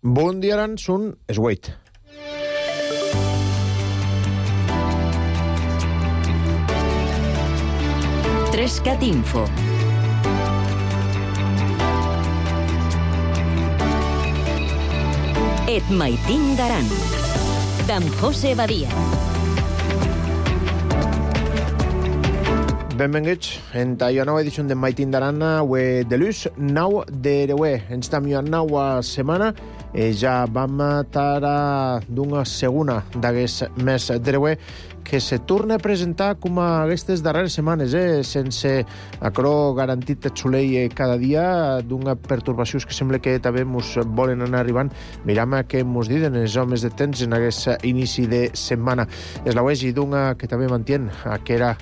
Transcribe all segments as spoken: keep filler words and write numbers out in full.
Bon dia, Aran, són es vuit. Trescat Info. Et maitin d'Aran, d'en José Badia. Benvinguts en la nova edició de Maitin d'Aran, avui de l'ús, nou d'Ereué. Ens estem a nova setmana, e ja vam estar d'una segona d'aquest mes d'Ereué, que se torna a presentar com a aquestes darreres setmanes, eh? sense acrò garantit de soleil cada dia, d'una pertorbacions que sembla que també ens volen anar arribant. Miram què ens diuen els homes de temps en aquest inici de setmana. És la wegi d'una que també mantien aquella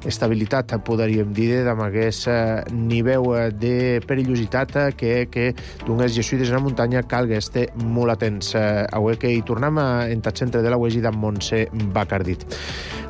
estabilitat, podríem dir, amb aquest nivell de perillositat que, que d'unes jesuïdes en la muntanya calga estar molt atents. Avui que hi tornem en el centre de la wegi d'en Montse Bacardit.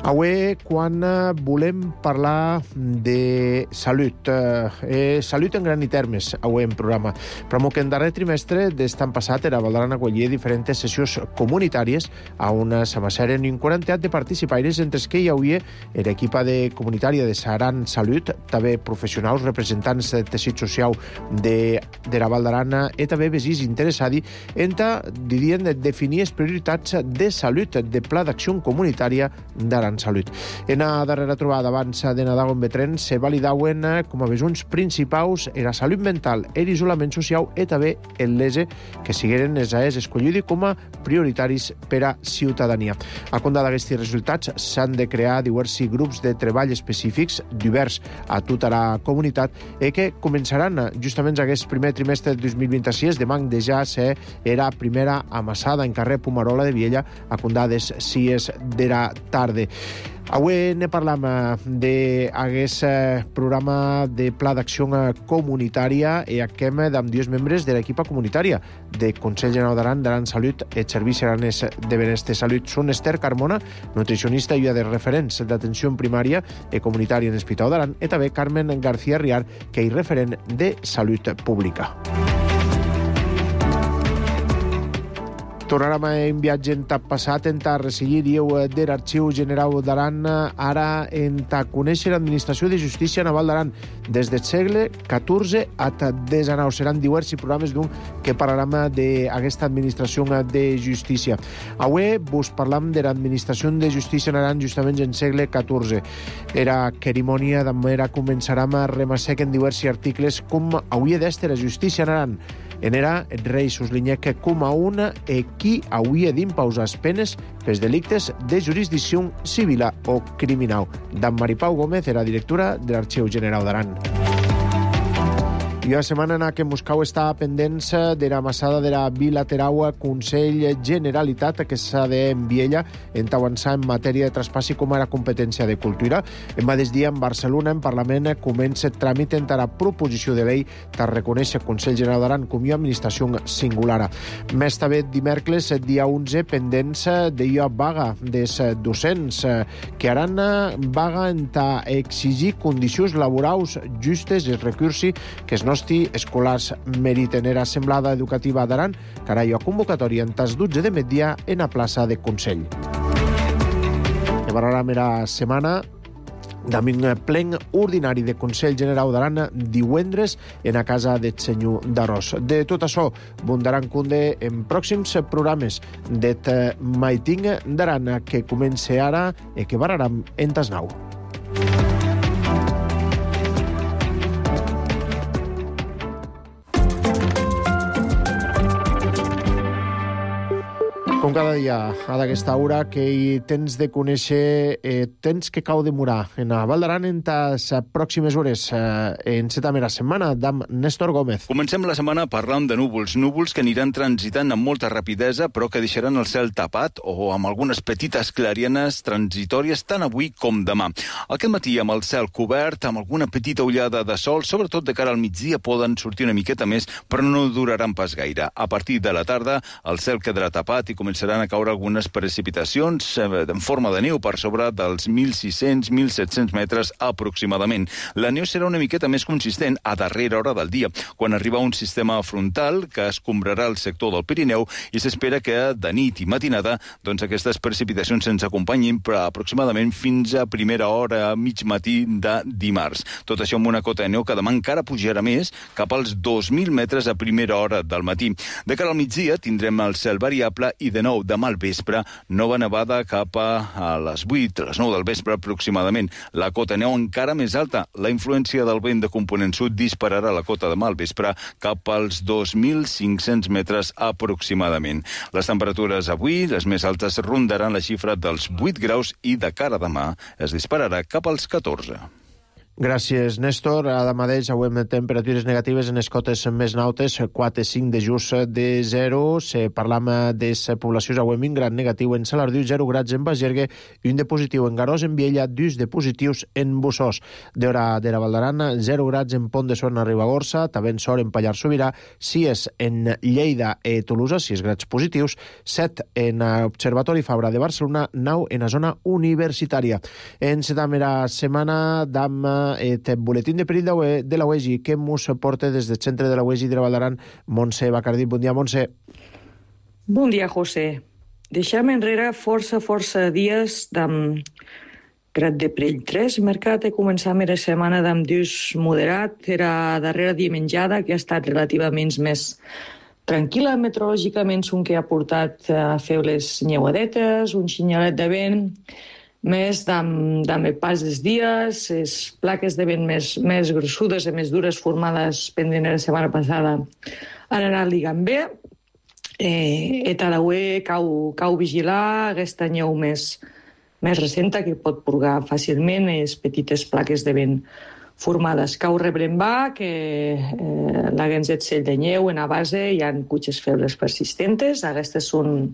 Avui, quan volem parlar de salut, eh, salut en gran i termes, avui en programa, però que en darrer trimestre d'estan passat era Valdaran acollir diferents sessions comunitàries a una samassera en un quarantet de participaires, entre els que hi havia l'equipa de comunitària de Saran Salut, també professionals, representants del teixit social de, de la Val d'Aran i també vesins interessats en dirien definir les prioritats de salut de pla d'acció comunitària d'Aran Salut. En la darrera trobada abans de Nadal en Betren se validaven com a besons principals la salut mental, l'isolament social i també el lese que sigueren els aes escollits com a prioritaris per a ciutadania. A compte d'aquests resultats s'han de crear diversos grups de treball específics diversos a tota la comunitat i que començaran justament aquest primer trimestre de dos mil vint-i-sis, demà de ja ser era primera amassada en carrer Pumarola de Viella a condades sis de la tarda. Avui ne parlam d'aquest programa de pla d'acció comunitària i aquem amb dos membres de l'equipa comunitària de Consell General d'Aran, d'Aran Salut i Serveis Aranès de Benestar Salut. Són Esther Carmona, nutricionista i de referents d'atenció primària i comunitària en l'Hospital d'Aran, i també Carmen García Riar, que és referent de salut pública. Tornarem en viatge en tap passat, en ta resseguir dieu de l'Arxiu General d'Aran, ara en ta conèixer l'Administració de Justícia Naval d'Aran des del segle catorze a desenau. Seran diversos programes d'un que parlarem d'aquesta Administració de Justícia. Avui vos parlam de l'Administració de Justícia en Aran justament en segle catorze. Era cerimònia d'amera començarem a remassec en diversos articles com hauria d'estar la justícia en Aran. En era el rei Suslinyeca com a una e qui hauria d'imposar penes pels delictes de jurisdicció civil o criminal. D'en Maripau Gómez era directora de l'Arxiu General d'Aran. I la setmana en què Moscou està pendents de la massada de la bilateral Consell Generalitat que s'ha d'enviella en avançar en matèria de traspassi com a la competència de cultura. En mateix dia, en Barcelona, en Parlament, comença el tràmit en la proposició de llei per reconèixer el Consell General d'Aran com a administració singular. Més també dimecres, dia onze, pendents de la vaga dels docents, que Aran vaga en exigir condicions laborals justes i recursi que es no escolars meriten era semblada educativa d'Aran, que ara hi ha convocatòria en tas dotze de migdia en la plaça de Consell. I parlarem la setmana d'un plen ordinari de Consell General d'Aran divendres en la casa del senyor d'Arròs. De tot això, bundaran cunde en pròxims programes de Maiting d'Aran que comença ara i que parlarem en tas nou. Com cada dia, a d'aquesta hora, que hi tens de conèixer eh, tens que cau de demorar en la Val d'Aran en les pròximes hores. Eh, en cette mera setmana, d'amb Néstor Gómez. Comencem la setmana parlant de núvols. Núvols que aniran transitant amb molta rapidesa, però que deixaran el cel tapat o amb algunes petites clarianes transitòries tant avui com demà. Aquest matí, amb el cel cobert, amb alguna petita ullada de sol, sobretot de cara al migdia, poden sortir una miqueta més, però no duraran pas gaire. A partir de la tarda, el cel quedarà tapat i començarà començaran a caure algunes precipitacions en forma de neu per sobre dels mil sis-cents a mil set-cents metres aproximadament. La neu serà una miqueta més consistent a darrera hora del dia, quan arriba un sistema frontal que escombrarà el sector del Pirineu i s'espera que de nit i matinada doncs, aquestes precipitacions se'ns acompanyin per aproximadament fins a primera hora, mig matí de dimarts. Tot això amb una cota de neu que demà encara pujarà més cap als dos mil metres a primera hora del matí. De cara al migdia tindrem el cel variable i de nou demà al vespre nova nevada cap a les vuit, a les nou del vespre aproximadament. La cota de neu encara més alta. La influència del vent de component sud dispararà la cota demà al vespre cap als dos mil cinc-cents metres aproximadament. Les temperatures avui, les més altes, rondaran la xifra dels vuit graus i de cara a demà es dispararà cap als catorze. Gràcies, Néstor. Ara mateix avui amb temperatures negatives en les cotes més nautes, quatre a cinc de just de zero. Se parlam de poblacions avui amb un gran negatiu en Salardiu, zero grads en Bagergue i un de positiu en Garòs, en Viella, dos de positius en Bussós. D'hora de la Valdarana, zero grads en Pont de Suert a Ribagorça, també en Sort en Pallars Sobirà, sis en Lleida i Tolosa, sis grads positius, set en Observatori Fabra de Barcelona, nou en la zona universitària. En la darrera setmana d'am et boletín de perill de la U E G I que mos porta des del centre de la U E G I de la Valdaran, Montse Bacardí. Bon dia, Montse. Bon dia, José. Deixem enrere força, força dies d'am grad de perill tres. Mercat he començat la setmana d'am dus moderat. Era darrera dimenjada, que ha estat relativament més tranquil·la meteorològicament, un que ha portat a fer les nyeuadetes, un xinyalet de vent, més amb el pas dels dies, les plaques de vent més, més grossudes i més dures formades pendent la setmana passada han anat ligant bé. Eh, et a la U E cau, cau vigilar aquesta nyeu més, més recenta que pot purgar fàcilment les petites plaques de vent formades. Cau rebrembà, que eh, la ganzet cell de nyeu en a base hi ha cutxes febles persistentes. Aquestes són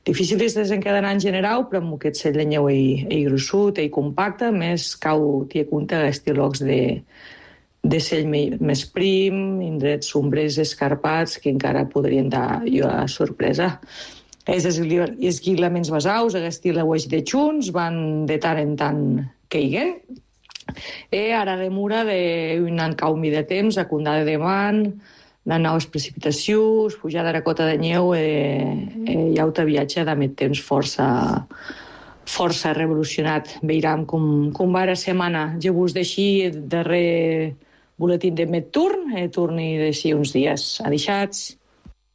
difícils de desencadenar en general, però amb aquest cell de nyeu i, i gruixut i compacte, més cau tia compte aquests llocs de, de cell més prim, indrets sombrers escarpats, que encara podrien dar a sorpresa. Els esguilaments basaus, aquest la U E G I de Junts, van de tant en tant caiguen. I ara remura d'un encaumi de temps, a condada de man, de noves precipitacions, pujada de la cota de nyeu i auto viatge d'amет temps força, força revolucionat. Veurem com, com va la setmana. Jo vos deixi el darrer boletín de Metturn, eh, torni d'ací uns dies. Adeixats.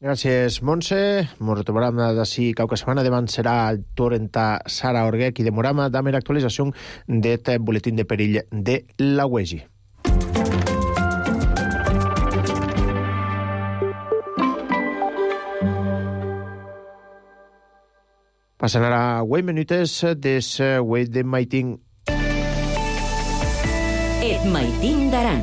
Gràcies, Montse. Ens retrobarem d'ací qualque setmana. Demà serà el torn a Sara Orguec i demoram amb l'actualització del boletín de perill de la U E G I. Passen ara vuit minutes des vuit de maiting. Et maiting d'Aran.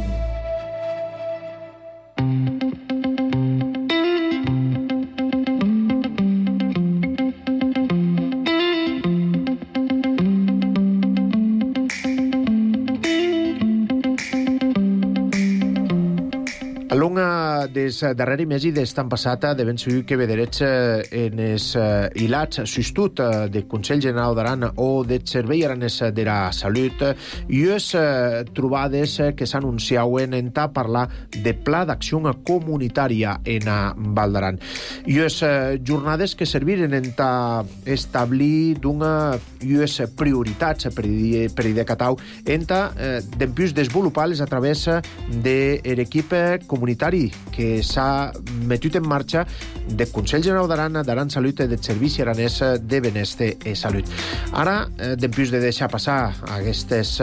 Des darrere mesi d'estan passat de ben segur que vederets en els hilats sustut del Consell General d'Aran o del Servei Aranès de la Salut i les trobades que s'anunciaven en ta parlar de pla d'acció comunitària en Val d'Aran. I les jornades que serviren en ta establir d'una les prioritats per i de Catau en ta d'empius desenvolupar-les a través de l'equip comunitari que s'ha metut en marxa del Consell General d'Aran, d'Aran Salut i del Servici Aranès de Benestar i Salut. Ara, després de deixar passar aquestes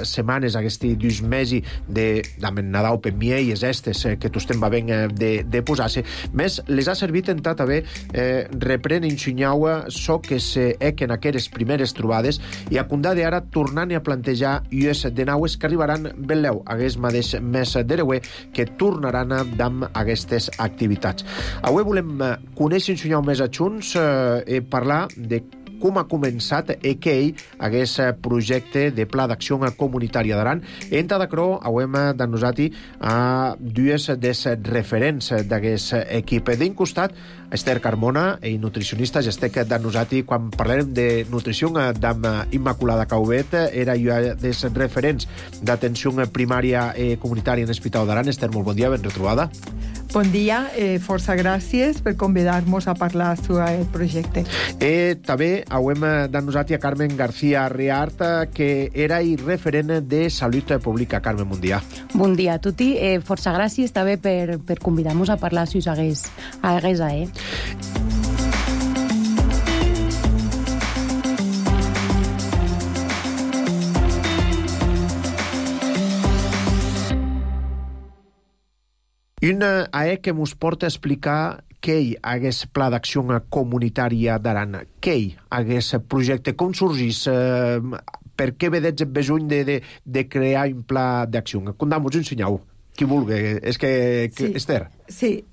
setmanes, aquests dos mesos de Nadal per mieles estes que tostem va ben de, de posar-se, més les ha servit en tot haver eh, reprèn ensenyau so que se equen aquestes primeres trobades i a condar d'ara tornant a plantejar ies de naues que arribaran ben leu hagués mateix mes d'hereuer que tornaran amb aquestes activitats. Avui volem conèixer ensenyar més a Junts eh, i parlar de com ha començat e que ell hagués projecte de pla d'acció comunitària d'Aran. Enta d'acrò hauem d'annosati a dues des referents d'aquest equip. D'un costat, Esther Carmona, i nutricionista, ja estic d'annosati quan parlarem de nutrició d'am Immaculada Caubet, era jo des referents d'atenció primària i comunitària en l'Hospital d'Aran. Esther, molt bon dia, ben retrobada. Bon dia, eh, força gràcies per convidar-nos a parlar sobre el projecte. Eh, també hauem d'annosati a Carmen García Riart, que era i referent de Salut Pública. Carmen, bon dia. Bon dia a tutti. Eh, força gràcies també per, per convidar-nos a parlar si us hagués, hagués a eh. Una A E que mos porta a explicar què hi hagués pla d'acció comunitària d'Aran, què hi hagués projecte, com sorgís, eh, per què vedets besoin de, de, de crear un pla d'acció? Condam-vos, ensenyau, qui vulgui. És que, que sí. Esther. Sí,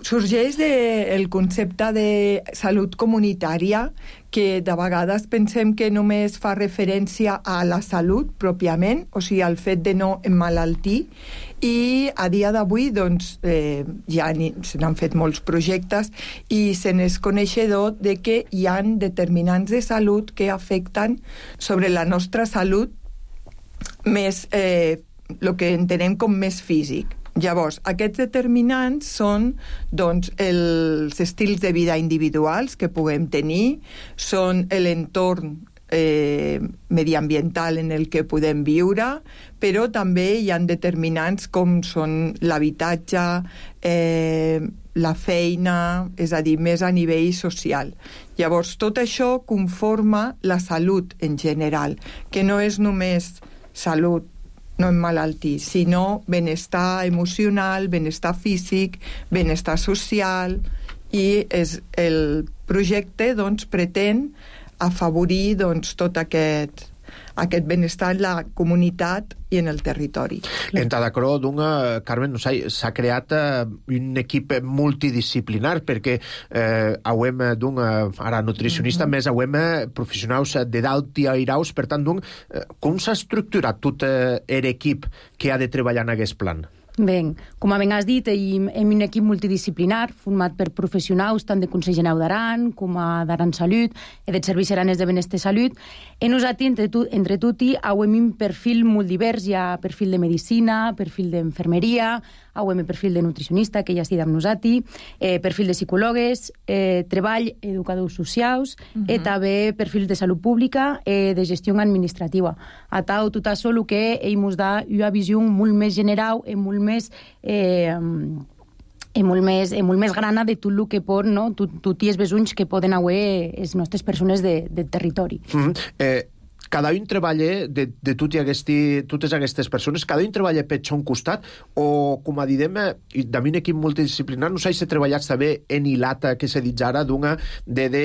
sorgeix del concepte de salut comunitària, que de vegades pensem que només fa referència a la salut pròpiament, o sigui, al fet de no emmalaltir, i a dia d'avui doncs, eh, ja se n'han fet molts projectes i se n'és coneixedor de que hi ha determinants de salut que afecten sobre la nostra salut més, eh, el que entenem com més físic. Llavors, aquests determinants són doncs, els estils de vida individuals que puguem tenir, són l'entorn eh, mediambiental en el que podem viure, però també hi ha determinants com són l'habitatge, eh, la feina, és a dir, més a nivell social. Llavors, tot això conforma la salut en general, que no és només salut, no emmalaltir, sinó benestar emocional, benestar físic, benestar social, i és, el projecte doncs, pretén afavorir doncs, tot aquest, aquest benestar en la comunitat i en el territori. En Tadacró, d'una, Carmen, no sé, s'ha creat eh, un equip multidisciplinar, perquè eh, hauem d'una, ara nutricionista, mm-hmm. més hauem professionals de dalt i airaus, per tant, d'un, eh, com s'ha estructurat tot eh, l'equip que ha de treballar en aquest plan? Bé, com ben has dit, hem un equip multidisciplinar format per professionals tant de Consell Generau d'Aran com a d'Aran Salut i dels Serveis Aranès de Benestar Salut. I nosaltres, entre, tu, entre tutti, hem un perfil molt divers. Hi ha perfil de medicina, perfil d'infermeria, hem perfil de nutricionista, que ja estic amb nosaltres, eh, perfil de psicòlogues, eh, treball, educadors socials, uh-huh. i també perfil de salut pública i eh, de gestió administrativa. A tal, tot això el que ell ens da una visió molt més general i molt més eh, i molt més, i molt més grana de tot el que pot, no? Tot, tot els besonys que poden haver les nostres persones de, del territori. Mm-hmm. Eh, cada un treballa, de, de tot aquesta, totes aquestes persones, cada un treballa per son costat, o, com a didem, d'un equip multidisciplinar, no sé si treballat també en hilata, que se dit ara, d'una, de, de,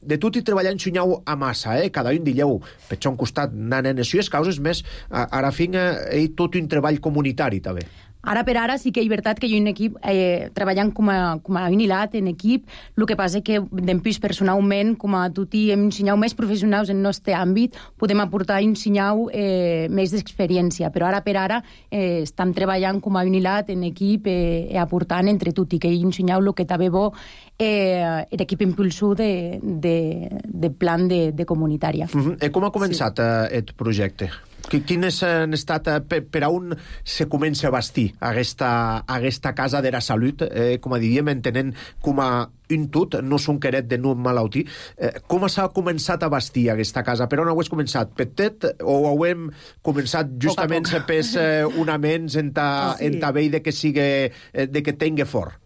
de tot i treballar en xunyau a massa, eh? Cada un dilleu per son costat, nanen, això és causes més, ara fin, eh, tot un treball comunitari, també. Ara per ara sí que és veritat que hi ha un equip eh, treballant com a, com a unilat en equip, el que passa que d'empís personalment, com a tutti hem ensenyat més professionals en el nostre àmbit, podem aportar i ensenyar eh, més d'experiència, però ara per ara eh, estem treballant com a unilat en equip eh, i aportant entre tutti, que ensenyau el que també bo eh, l'equip impulsor de, de, de plan de, de comunitària. Mm-hmm. I com ha començat sí. eh, el projecte? Quines han estat, per, per a on se comença a bastir aquesta, aquesta casa de la salut, eh, com a diríem, entenent com a un tot, no són queret de no malaltir. Eh, com s'ha començat a bastir aquesta casa? Per on heu començat? Petit o heu començat justament pels eh, unaments en ta, sí. en ta vei de que sigui, de que tingui fort?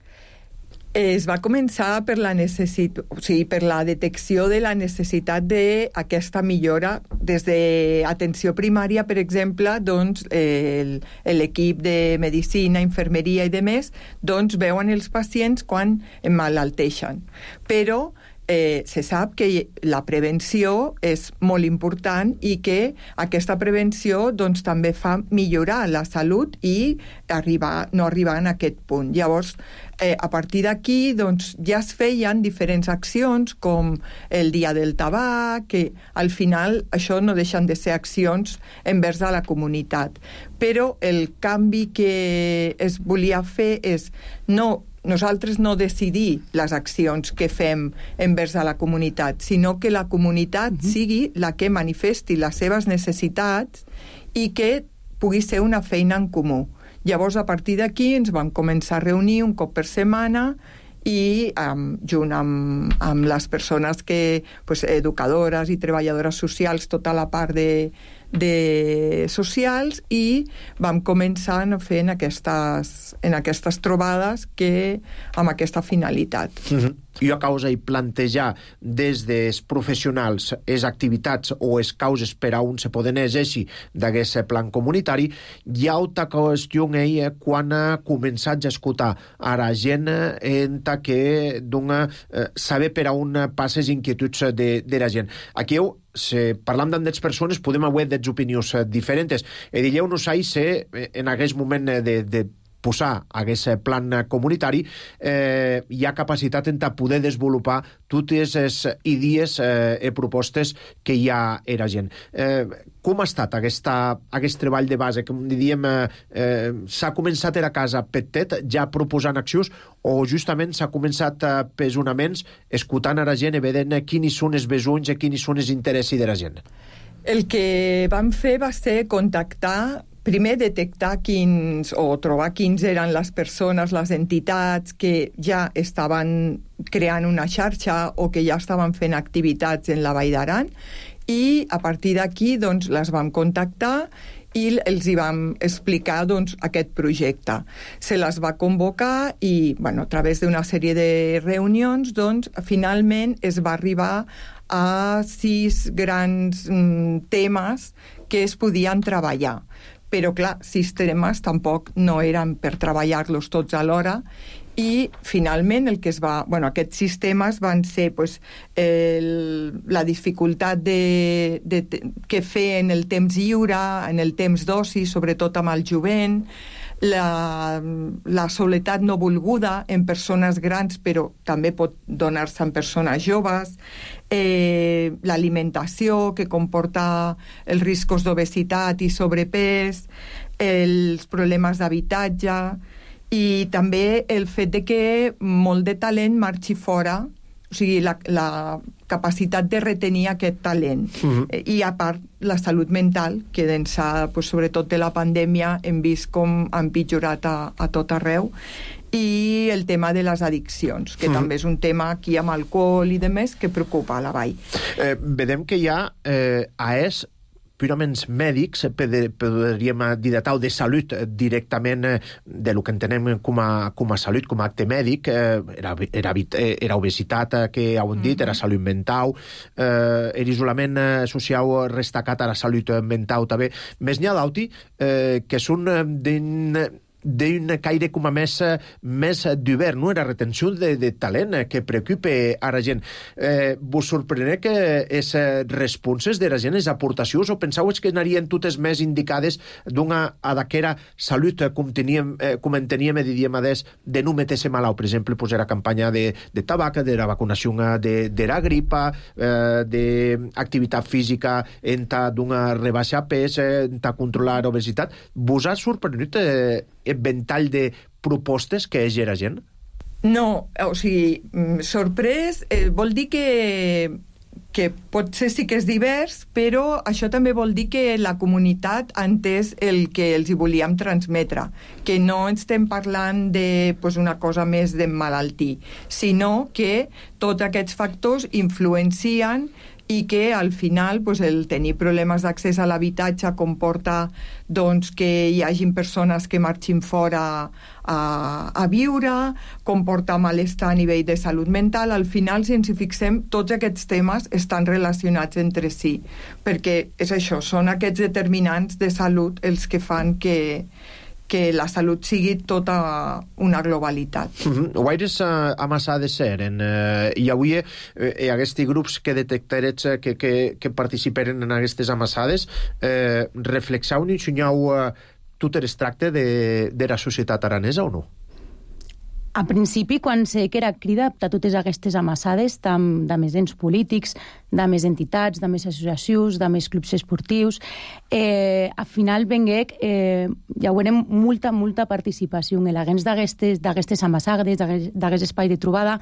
Es va començar per la necessitat, o sigui, per la detecció de la necessitat d'aquesta millora des d'atenció primària, per exemple, doncs l'equip de medicina, infermeria i demés, doncs veuen els pacients quan emmalalteixen. Però eh, se sap que la prevenció és molt important i que aquesta prevenció doncs, també fa millorar la salut i arribar, no arribar a aquest punt. Llavors, eh, a partir d'aquí doncs, ja es feien diferents accions com el dia del tabac, que al final això no deixen de ser accions envers a la comunitat. Però el canvi que es volia fer és no nosaltres no decidir les accions que fem envers a la comunitat, sinó que la comunitat uh-huh. sigui la que manifesti les seves necessitats i que pugui ser una feina en comú. Llavors, a partir d'aquí, ens vam començar a reunir un cop per setmana i um, junt amb, amb les persones que, pues, educadores i treballadores socials, tota la part de, de socials, i vam començar a fer en aquestes, en aquestes trobades que, amb aquesta finalitat. Mm-hmm. Jo a causa i plantejar des dels professionals les activitats o les causes per a on se poden exercir d'aquest plan comunitari, hi ha altra qüestió eh, quan ha començat a escoltar a la gent en que dona eh, saber per a on passes inquietuds de, de la gent. Aquí heu si parlam d'andes persones podem haver des opinions diferents. E digueu no sé si en aquest moment de, de posar aquest plan comunitari eh, hi ha capacitat en poder desenvolupar totes les idees eh, i propostes que hi ha a la gent. Eh, com ha estat aquesta, aquest treball de base? Com diríem, eh, eh, s'ha començat a la casa petit ja proposant accions o justament s'ha començat a pesonaments escoltant a la gent i veient quins són els besoins i quins són els interessos de la gent? El que vam fer va ser contactar primer detectar quins, o trobar quins eren les persones, les entitats que ja estaven creant una xarxa o que ja estaven fent activitats en la Vall d'Aran, i a partir d'aquí doncs, les vam contactar i els hi vam explicar doncs, aquest projecte. Se les va convocar i bueno, a través d'una sèrie de reunions doncs, finalment es va arribar a sis grans mm, temes que es podien treballar. Però, clar, sis temes tampoc no eren per treballar-los tots alhora, i finalment el que es va... Bueno, aquests sis temes van ser pues, el, la dificultat de, de, de, que fer en el temps lliure, en el temps d'oci, sobretot amb el jovent, la, la soledat no volguda en persones grans, però també pot donar-se en persones joves, eh, l'alimentació que comporta els riscos d'obesitat i sobrepès, els problemes d'habitatge i també el fet de que molt de talent marxi fora, o sigui, la, la capacitat de retenir aquest talent. Uh-huh. I a part, la salut mental, que d'ençà, pues, sobretot de la pandèmia, hem vist com ha empitjorat a, a tot arreu, i el tema de les addiccions, que uh-huh. també és un tema aquí amb alcohol i demés que preocupa a la vall. Eh, vedem que hi ha eh, A E S purament mèdics, podríem dir de tal, de salut directament de lo que entenem com a, com a salut, com a acte mèdic, era, era, era obesitat, que heu dit, mm-hmm. era salut mental, eh, era isolament social restacat a la salut mental també. Més n'hi ha d'auti eh, que són d'un d'un caire com a més, més d'obert, no? Era retenció de, de talent que preocupa a la gent. Eh, vos sorprèn que les responses de la gent, les aportacions, o penseu que anarien totes més indicades d'una a d'aquera salut, com, teníem, eh, com en teníem, diríem, des, de no meter-se malau, per exemple, pues, era campanya de, de tabac, de la vacunació de, de la gripa, eh, d'activitat física, en d'una rebaixa pes, en controlar obesitat. Vos ha sorprès eh, el ventall de propostes que és la gent? No, o sigui, sorprès eh, vol dir que, que potser sí que és divers, però això també vol dir que la comunitat ha entès el que els hi volíem transmetre, que no estem parlant de pues, una cosa més d'emmalaltir, sinó que tots aquests factors influencien i que al final pues, el tenir problemes d'accés a l'habitatge comporta doncs, que hi hagin persones que marxin fora a, a viure, comporta malestar a nivell de salut mental. Al final, si ens hi fixem, tots aquests temes estan relacionats entre si, perquè és això, són aquests determinants de salut els que fan que, que la salut sigui tota una globalitat. Mm-hmm. Guaires uh, amassades eren. Uh, I avui uh, aquests grups que detectarets uh, que, que, que participeren en aquestes amassades uh, reflexau i ensenyau uh, tot el tracte de, de la societat aranesa o no? A principi, quan sé que era crida a totes aquestes amassades, tam, de més ens polítics, de més entitats, de més associacions, de més clubs esportius, eh, al final venguec, eh, ja veurem molta, molta participació en l'agents d'aquestes amassades, d'aquest espai de trobada,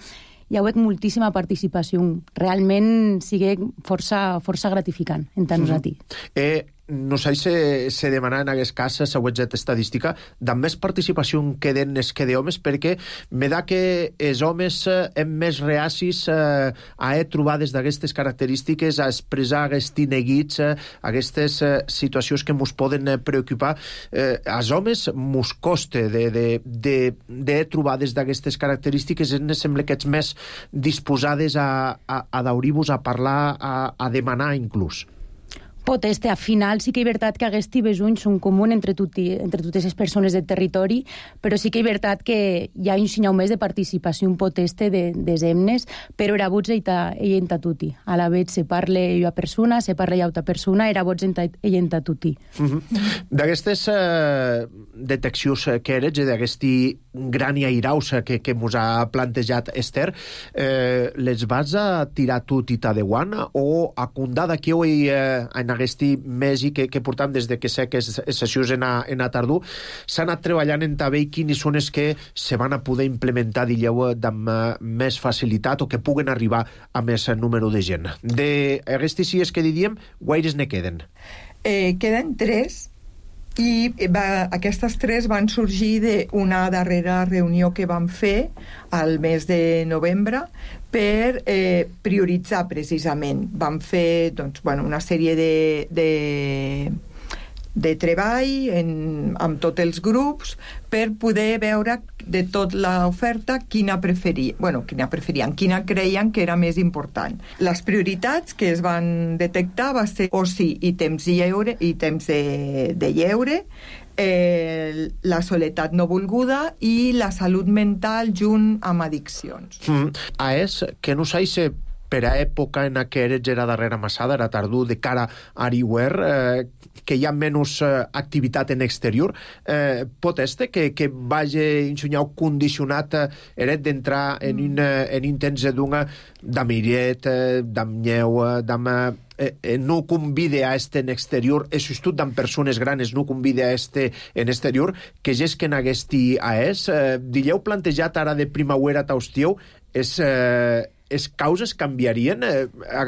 hi ha hagut moltíssima participació. Realment sigue força, força gratificant en tant nosaltres. Mm-hmm. Eh, no sé si se demana en aquest cas, següent estadística, de més participació que d'enes que d'homes, perquè me da que els homes hem més reacis eh, a trobades d'aquestes característiques, a expressar aquests neguits, eh, aquestes eh, situacions que ens poden eh, preocupar. Eh, als homes mos costa de, de, de, de trobades d'aquestes característiques, ens sembla que ets més disposades a, a, a daure-vos, a parlar, a, a demanar inclús. Poteste, al final sí que és veritat que aquests besonys són comuns entre, tuti, entre totes les persones del territori, però sí que és veritat que hi ha un sinyal més de participació poteste de, de emnes, però era vots i enta tutti. A la vegada se parla una persona, se parla altra persona, era vots i enta tutti. Mm-hmm. D'aquestes eh, deteccions que eres, d'aquest gran i airaus que, que mos ha plantejat Esther, eh, les vas a tirar tot i t'adeuant o a condar d'aquí avui eh, en aquest mes i que, que portam des de que sé que les sessions en a, en a tardor s'ha anat treballant en també quines són les que se van a poder implementar, digueu, amb més facilitat o que puguen arribar a més número de gent. D'aquestes sis que diríem, guaires ne queden? Eh, queden tres i va, aquestes tres van sorgir d'una darrera reunió que vam fer al mes de novembre per eh, prioritzar precisament. Vam fer doncs, bueno, una sèrie de, de, de treball en, amb tots els grups per poder veure de tota l'oferta quina preferia, bueno, quina preferien, quina creien que era més important. Les prioritats que es van detectar va ser oci i temps de lleure, i temps de, de lleure, eh, la soledat no volguda i la salut mental junt amb addiccions. Mm. A és que no sé si per a època en què eres era darrera massada, era tardor, de cara a Ariwer, eh, que hi ha menys eh, activitat en exterior, eh, pot este que, que vagi ensenyar condicionat eh, eret d'entrar en un en un temps d'una d'amiret, eh, d'amnyeu, d'am... Eh, eh, no convide a este en exterior, és just d'en persones granes, no convide a este en exterior, que és que en agesti a és, eh, dilleu plantejat ara de primavera taustieu, és... Eh, les causes canviarien? Eh,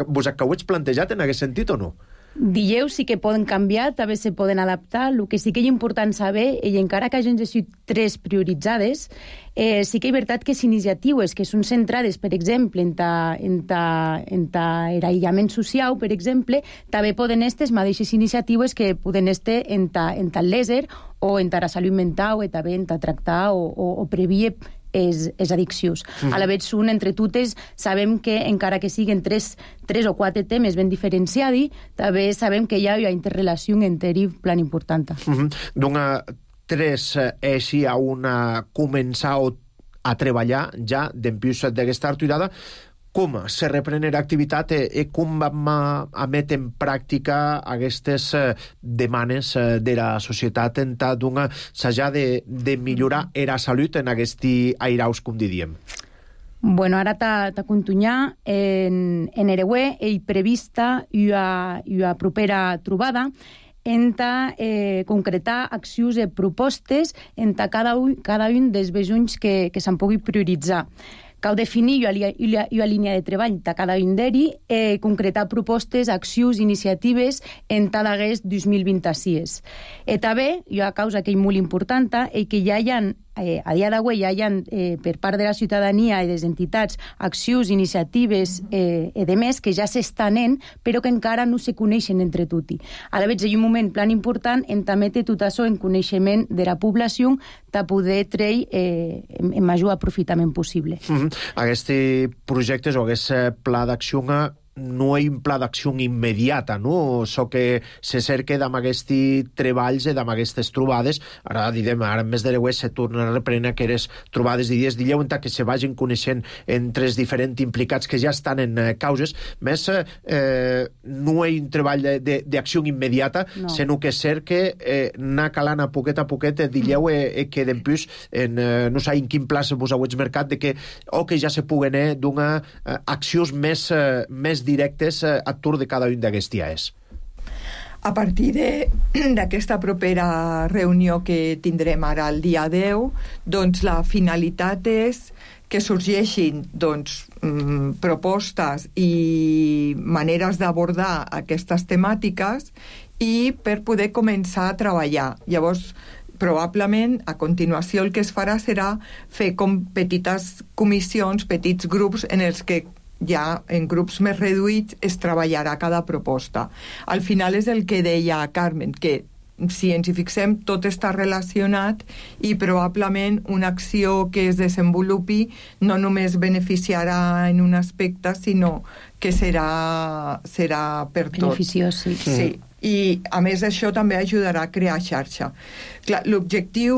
vos acabeu plantejat en aquest sentit o no? Dieu sí que poden canviar, també se poden adaptar. El que sí que és important saber, i encara que hagin sigut tres prioritzades, eh, sí que és veritat que les iniciatives que són centrades, per exemple, en ta, en ta, en ta aïllament social, per exemple, també poden estar les mateixes iniciatives que poden estar en ta, en ta léser o en ta salut mental o també en ta tractar o, o, o previer és, és addiccions. Mm. A la vegada són entre totes, sabem que encara que siguin tres, tres o quatre temes ben diferenciats, també sabem que hi ha una interrelació entre ells plan important. Mm-hmm. Doncs tres és si a una començar a treballar ja d'empius d'aquesta arturada. Com se reprenen l'activitat i com vam a metre en pràctica aquestes demanes de la societat en tal d'una s'haja de, de millorar la salut en aquests airaus, com diríem? Bueno, ara t'ha contunyar en, en Ereuer i prevista una, una propera trobada enta eh, concretar accions i propostes enta cada un, cada un dels besonys que, que se'n pugui prioritzar. Cal definir una línia de treball de cada un d'ells, eh, concretar propostes, accions, iniciatives en tot aquest dos mil vint-i-sis. I també, una causa que és molt important, és que ja hi ha, eh, a dia d'avui ja hi ha, eh, per part de la ciutadania i de les entitats, accions, iniciatives eh, i de més que ja s'estan en, però que encara no se coneixen entre tots. A la vegada, hi ha un moment plan important en també té tot això en coneixement de la població de poder treure eh, en, en major aprofitament possible. Mm-hmm. Aquests projectes o aquest pla d'acció no hi ha un pla d'acció immediata, no? So que se cerca d'amb aquests treballs i d'amb aquestes trobades. Ara, diguem, ara en mes de l'Eues se torna a reprendre aquelles trobades d'idees d'illeu en que se vagin coneixent entre els diferents implicats que ja estan en eh, causes. Més, eh, no hi ha un treball d'acció immediata, no. Sinó que cerca eh, anar calant a poquet a poquet d'illeu mm. eh, que dempús en, eh, no sé en quin pla vos heu mercat de que, o que ja se puguen eh, donar eh, accions més, eh, més directes eh, a tour de cada un d'aquests dies. A partir d'aquesta propera reunió que tindrem ara el dia deu, doncs la finalitat és que sorgeixin doncs, mm, propostes i maneres d'abordar aquestes temàtiques i per poder començar a treballar. Llavors, probablement, a continuació el que es farà serà fer com petites comissions, petits grups en els que ja en grups més reduïts es treballarà cada proposta. Al final és el que deia Carmen, que si ens hi fixem tot està relacionat i probablement una acció que es desenvolupi no només beneficiarà en un aspecte, sinó que serà, serà per tot. Beneficiós, sí. Sí. I a més això també ajudarà a crear xarxa. Clar, l'objectiu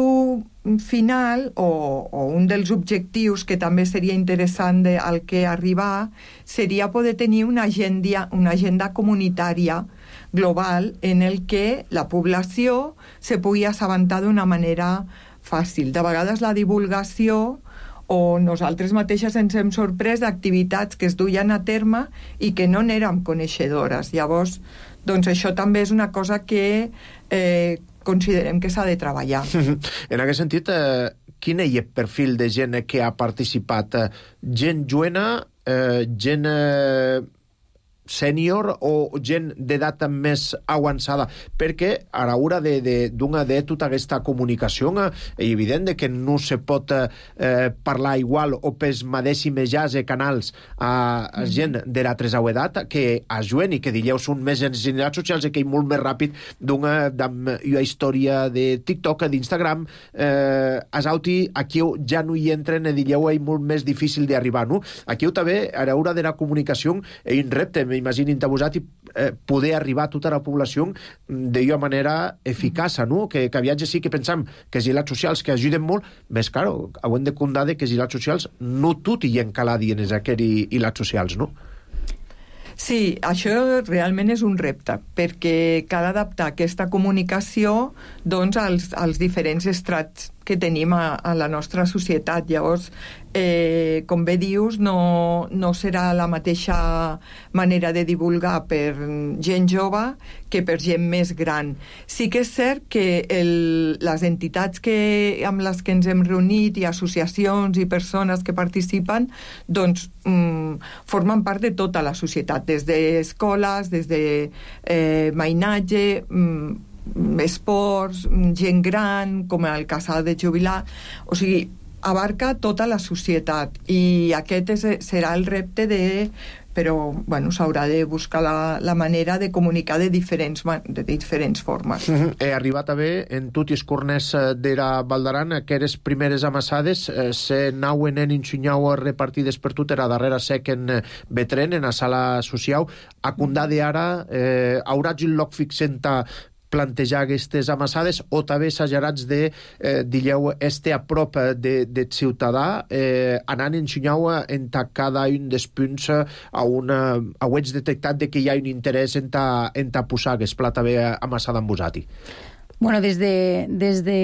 final o, o un dels objectius que també seria interessant de, al que arribar seria poder tenir una agenda, una agenda comunitària global en el que la població se pugui assabentar d'una manera fàcil. De vegades la divulgació o nosaltres mateixes ens hem sorprès d'activitats que es duien a terme i que no n'érem coneixedores. Llavors, doncs això també és una cosa que eh, considerem que s'ha de treballar. En aquest sentit, eh, quin és el perfil de gent que ha participat? Gent joena, eh, gent eh, sènior o gent d'edat més avançada? Perquè a l'hora de, de, d'una de tota aquesta comunicació és evident que no se pot eh, parlar igual o pels mateixos de canals a, a gent de la tercera edat que a joven i que dilleu són més en xarxes socials i que és molt més ràpid d'una, d'una història de TikTok, d'Instagram, eh, a Sauti, aquí ja no hi entren i dilleu és molt més difícil d'arribar, no? Aquí també a l'hora de la comunicació és un repte, m'imaginin tabusat, i eh, poder arribar a tota la població d'una manera eficaç, no? Que, que aviatge sí que pensam que els gilats socials que ajuden molt, més caro, ho hem de comptar que els gilats socials no tot hi encalà dient aquests gilats socials, no? Sí, això realment és un repte, perquè cal adaptar aquesta comunicació doncs, als, als diferents estrats que tenim a, a la nostra societat. Llavors, eh, com bé dius, no, no serà la mateixa manera de divulgar per gent jove que per gent més gran. Sí que és cert que el, les entitats que, amb les que ens hem reunit i associacions i persones que participen doncs mm, formen part de tota la societat, des d'escoles, des de eh, mainatge, mm, esports, gent gran, com el casal de jubilar, o sigui, abarca tota la societat i aquest és, serà el repte de... però, bueno, s'haurà de buscar la, la manera de comunicar de diferents, de diferents formes. Mm-hmm. He arribat a ver en tots els corners de la Val d'Aran aquelles primeres amassades eh, se nauen en ensenyau repartides per tot, era darrere sec en Betren, en la sala social. A Condà de ara eh, haurà un lloc fixent a plantejar aquestes amassades o també exagerats de, eh, digueu, este a prop de, de ciutadà, eh, anant ensenyau en cada un dels punts a una, a ho ets detectat de que hi ha un interès en ta, en ta posar aquest pla també amassada amb vosati. Bueno, des de, des de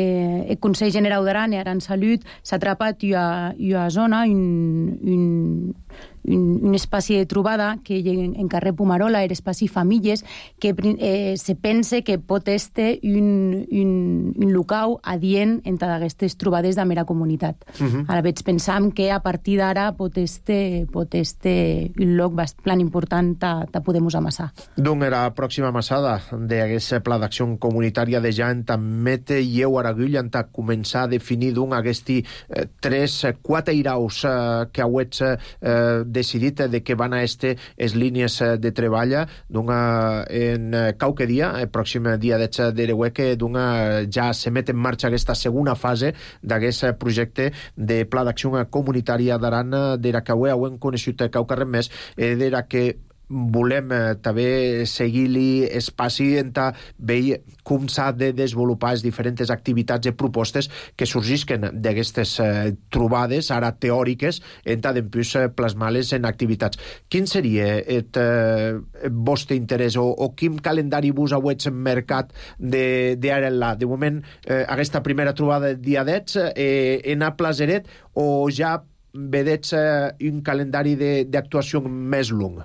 el Consell Generau d'Aran i Aran Salut s'ha atrapat una, una zona, un, un, un, un espai de trobada que en, en carrer Pumarola, era espai famílies, que eh, se pense que pot estar un, un, un locau adient en totes aquestes trobades de mera comunitat. Uh-huh. Ara veig pensam que a partir d'ara pot estar pot estar un lloc bastant important a poder-nos amassar. Doncs era la pròxima amassada d'aquest pla d'acció comunitària de ja en Mete i eu Aragull en ta començar a definir d'un aquesti eh, tres, quatre iraus eh, que hauets eh, decidit de que van a este es línies de treball d'una en qualque dia, el pròxim dia d'etxa d'Ereuer, que d'una ja se met en marxa aquesta segona fase d'aquest projecte de pla d'acció comunitària d'Aran, d'era que ho hem coneixut qualque res més, d'era que volem eh, també seguir-li espaci en ta veure com s'ha de desenvolupar les diferents activitats i propostes que sorgisquen d'aquestes eh, trobades, ara teòriques, en ta d'empús eh, plasmar-les en activitats. Quin seria el eh, vostre interès o, o quin calendari vos hauets mercat d'ara enlà? De moment, eh, aquesta primera trobada del dia deu eh, en a Placeret o ja vedets eh, un calendari d'actuació més long?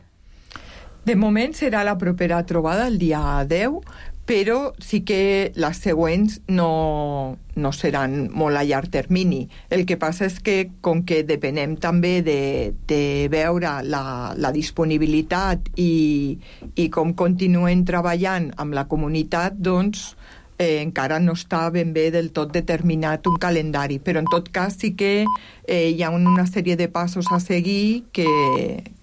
De moment serà la propera trobada el dia deu, però sí que les següents no, no seran molt a llarg termini. El que passa és que, com que depenem també de, de veure la, la disponibilitat i, i com continuen treballant amb la comunitat, doncs eh, encara no està ben bé del tot determinat un calendari. Però en tot cas sí que eh, hi ha una sèrie de passos a seguir que,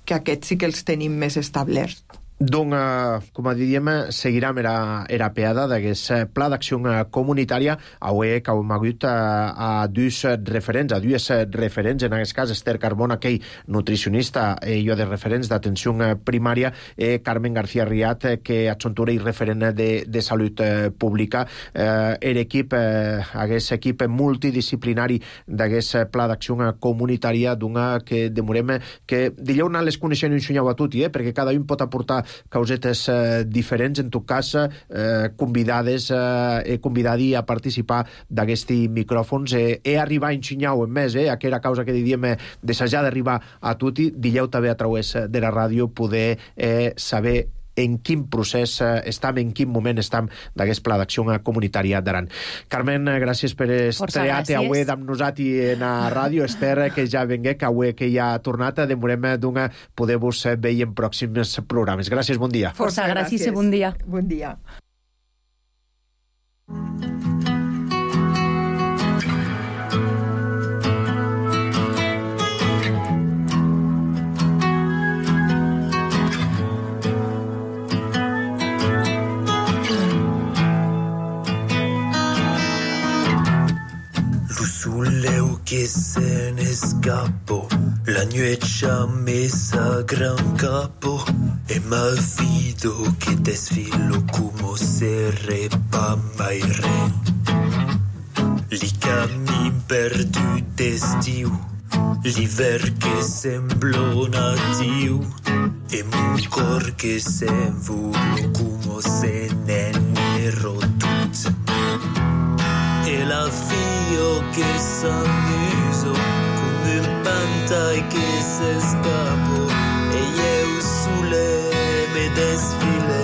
que aquests sí que els tenim més establerts. Donc, eh, com a diríem, seguirem era, era peada d'aquest pla d'acció comunitària. Avui que hem hagut a, a dos referents, a dues referents, en aquest cas Esther Carbona, que és nutricionista i jo de referents d'atenció primària, eh, Carmen García Riat, que adjuntura i referent de, de salut eh, pública. Eh, er equip, eh, aquest equip multidisciplinari d'aquest pla d'acció comunitària, d'una que demorem que dileu anar les coneixent un xunyau a tutti, eh, perquè cada un pot aportar causetes eh, diferents, en tot cas eh, convidades eh, convidadi a participar d'aquests micròfons. Eh, he arribat a enxinyau en més, eh, aquella causa que diríem eh, desejar d'arribar a tutti, dileu també a través de la ràdio poder eh, saber en quin procés eh, estem, en quin moment estem d'aquest pla d'acció comunitària d'Aran. Carmen, gràcies per estrear-te avui amb nosaltres en la ràdio. Esther, que ja vengué, que avui que ja ha tornat, demorem d'una poder-vos veure en pròxims programes. Gràcies, bon dia. Força, gràcies i bon dia. Bon dia. Que se ne escapó, la nuecha mesa gran capo, e malfido che desfilo como se repamba il re. Li cammin perdu d'estiu, l'hiver che semblò natiu, e mon cor che s'envolò como se n'ero tut. E la fio che s'amuso con un pantai che s'escapò e io sulle me desfile.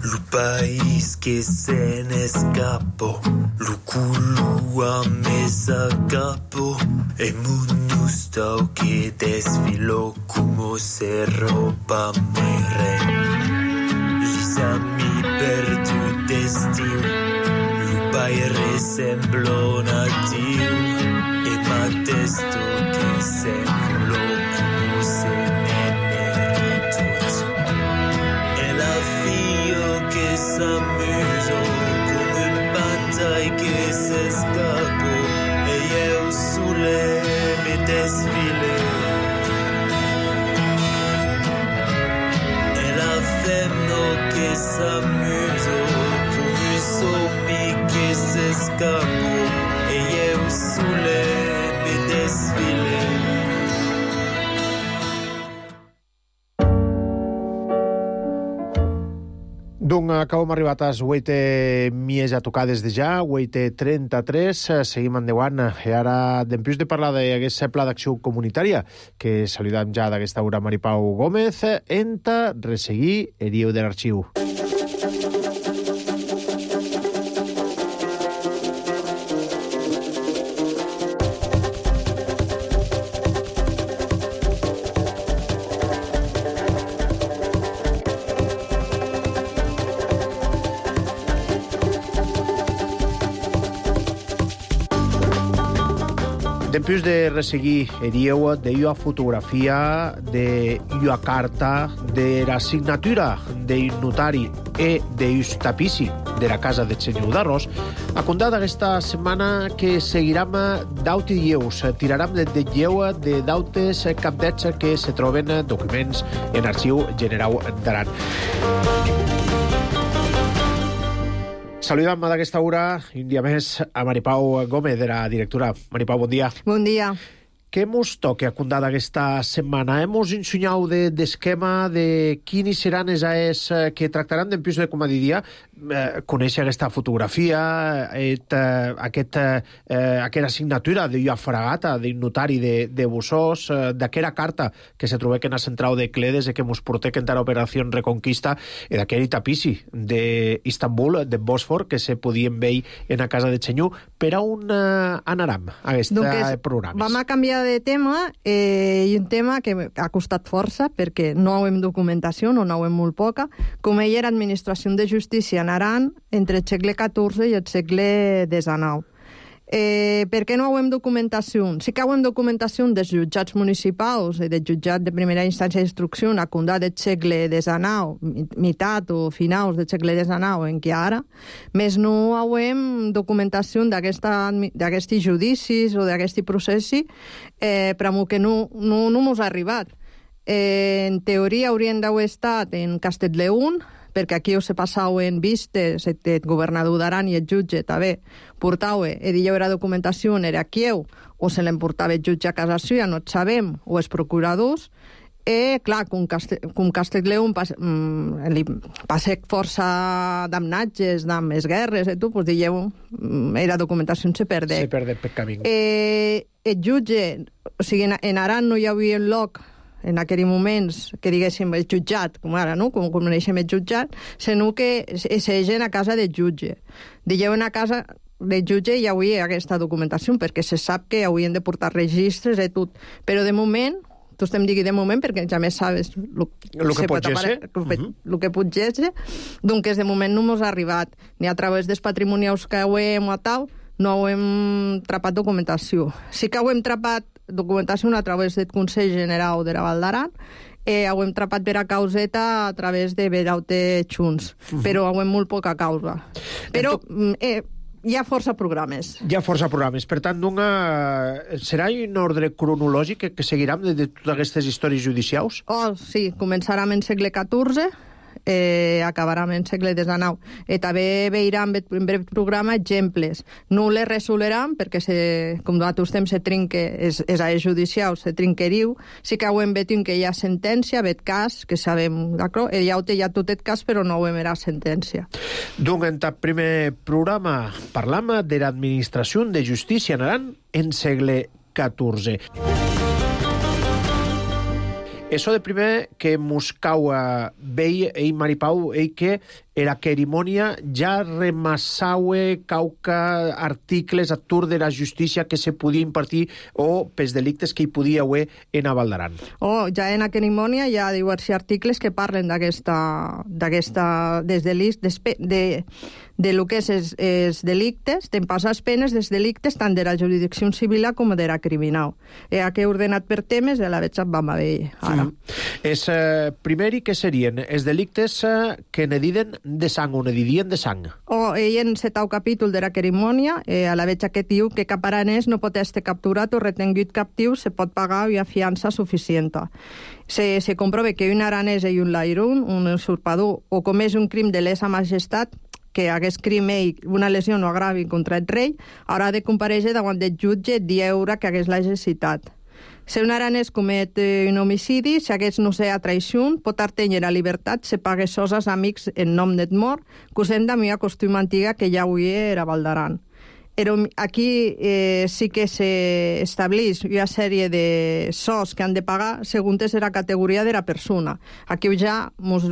Lo país che se ne scappò, lo culo a mesa capo e monustao che desfilò come se roba mai re. Lisami perdu d'estiu, lo paire semblò natiu e m'attesto che semblò come se n'era tot. E la fio che s'amuso come un pantai che s'escapò e io sulle me desfile. E la femno che s'amuso come un sommi che s'escapò e io sulle me desfile. Donc, com hem arribat a les vuit mies a tocar des de ja, vuit trenta-tres, seguim endavant. I ara, d'empús de parlar d'aquest pla d'acció comunitària, que saludem ja d'aquesta hora Maripau Gómez, enta resseguir Herieu de l'Arxiu. Dempús de resseguir erieu de ua fotografia, de ua carta, de la signatura de notari e de us tapissi de la casa de senyor d'Arròs, a contar d'aquesta setmana que seguiram d'aut i lleus, tiraram de lleu de dautes capdets que se troben documents en Arxiu Generau d'Aran. Saludam d'aquesta hora, un dia més, a Maripau Gómez, de la directora. Maripau, bon dia. Bon dia. Què mos toca a contar d'aquesta setmana? Hemos ensenyau de, d'esquema de quins seran els aes que tractaran d'empús de, com a diria, eh, conèixer aquesta fotografia, et, eh, aquest, eh, aquesta signatura d'una fragata, d'un notari de, de Bussós, eh, d'aquesta carta que se trobé que en la central de Cledes, que mos portec en la operació Reconquista, i d'aquest tapissi d'Istanbul, de Bòsfor, que se podien veure en la casa de Senyor. Per a on eh, anaram aquests programes? Vam a canviar de tema, eh, i un tema que ha costat força perquè no hem documentació, no n'hem molt poca, com ell era administració de justícia en Aran entre el segle catorze i el segle dinou. Eh, per què no hem documentació? Sí que hem documentació dels jutjats municipals i del jutjat de primera instància d'instrucció a condat del segle dinou, meitat o finals del segle dinou en què ara, més no hem documentació d'aquests judicis o d'aquest processi, eh, però que no, no, no mos ha arribat. Eh, en teoria haurien d'haver estat en Castelldefels, perquè aquí se passaven vistes, el governador d'Aran i el jutge també portava, i diu era documentació, era Kieu, o se l'emportava el jutge a casa seva, no et sabem, o els procuradors, i clar, com, Castel, com Castelldefels pas, mm, li passa força damnatges, amb les guerres, i tu, doncs dieu, era documentació se perdé. Se perdé per camí. Eh, el jutge, o sigui, en, en Aran no hi havia un lloc en aquells moments, que diguéssim el jutjat, com ara, no? com coneixem el jutjat, sinó que s'egen a casa del jutge. Digueu en a casa del jutge hi hauria aquesta documentació, perquè se sap que haurien de portar registres i tot. Però de moment, tu estem dient de moment, perquè ja més sabes el que pot ser, el que pot ser, doncs de moment no ens ha arribat, ni a través dels patrimonials que hem o tal, no hem trapat documentació. Sí que hem trapat documentació a través del Consell General de la Val d'Aran, eh, ho hem trapat per a causeta a través de Beraute Junts, uh-huh. però ho hem molt poca causa. Però eh, hi ha força programes. Hi ha força programes. Per tant, una... serà un ordre cronològic que, que seguirem de, de totes aquestes històries judicials? Oh, sí, començarem en segle catorze, eh, acabarem en segle dinou. I també veurem en breu programa exemples. No les resolerem perquè, se, com nosaltres temps se trinque, és, és a judicial, se trinqueriu. Sí que ho hem vetit que hi ha sentència, vet cas, que sabem, d'acord? Hi ha, hi ha tot el cas, però no ho hem era sentència. Donc, en el primer programa parlam de l'administració de justícia en Aran en segle catorze. Eso de primer que mos cau vei, ei Maripau, ei que era cerimònia ja remassaue cauca articles a tour de la justícia que se podia impartir o pels delictes que hi podia haver en a Val d'Aran. Oh, ja en la cerimònia hi ha diversos articles que parlen d'aquesta, d'aquesta, des delictes, de, de, de lo que és els, els delictes, te'n passa les penes dels delictes tant de la jurisdicció civil com de la criminal. Eh, aquí he ordenat per temes i la veig vam a veure ara. Mm. És, eh, primer, que serien els delictes eh, que ne diden de sang o ne didien de sang? Oh, ell en el setau capítol de la cerimònia, eh, a la veig que diu que cap aranès no pot estar capturat o retengut captiu, se pot pagar una fiança suficient. Se, se comprova que un aranès i un lairun, un usurpador, o comès un crim de lesa majestat, que hagués crim ell una lesió no agravi contra el rei, haurà de comparèixer davant del jutge dieure que hagués l'exercitat. Si un aranès comet un homicidi, si hagués no sé a traïció, pot artenyer a llibertat, se pague sos als amics en nom net mort, cosent de una costum antiga que ja avui era Val d'Aran. Aquí eh, sí que s'estableix una sèrie de sos que han de pagar segons la categoria de la persona. Aquí ja mos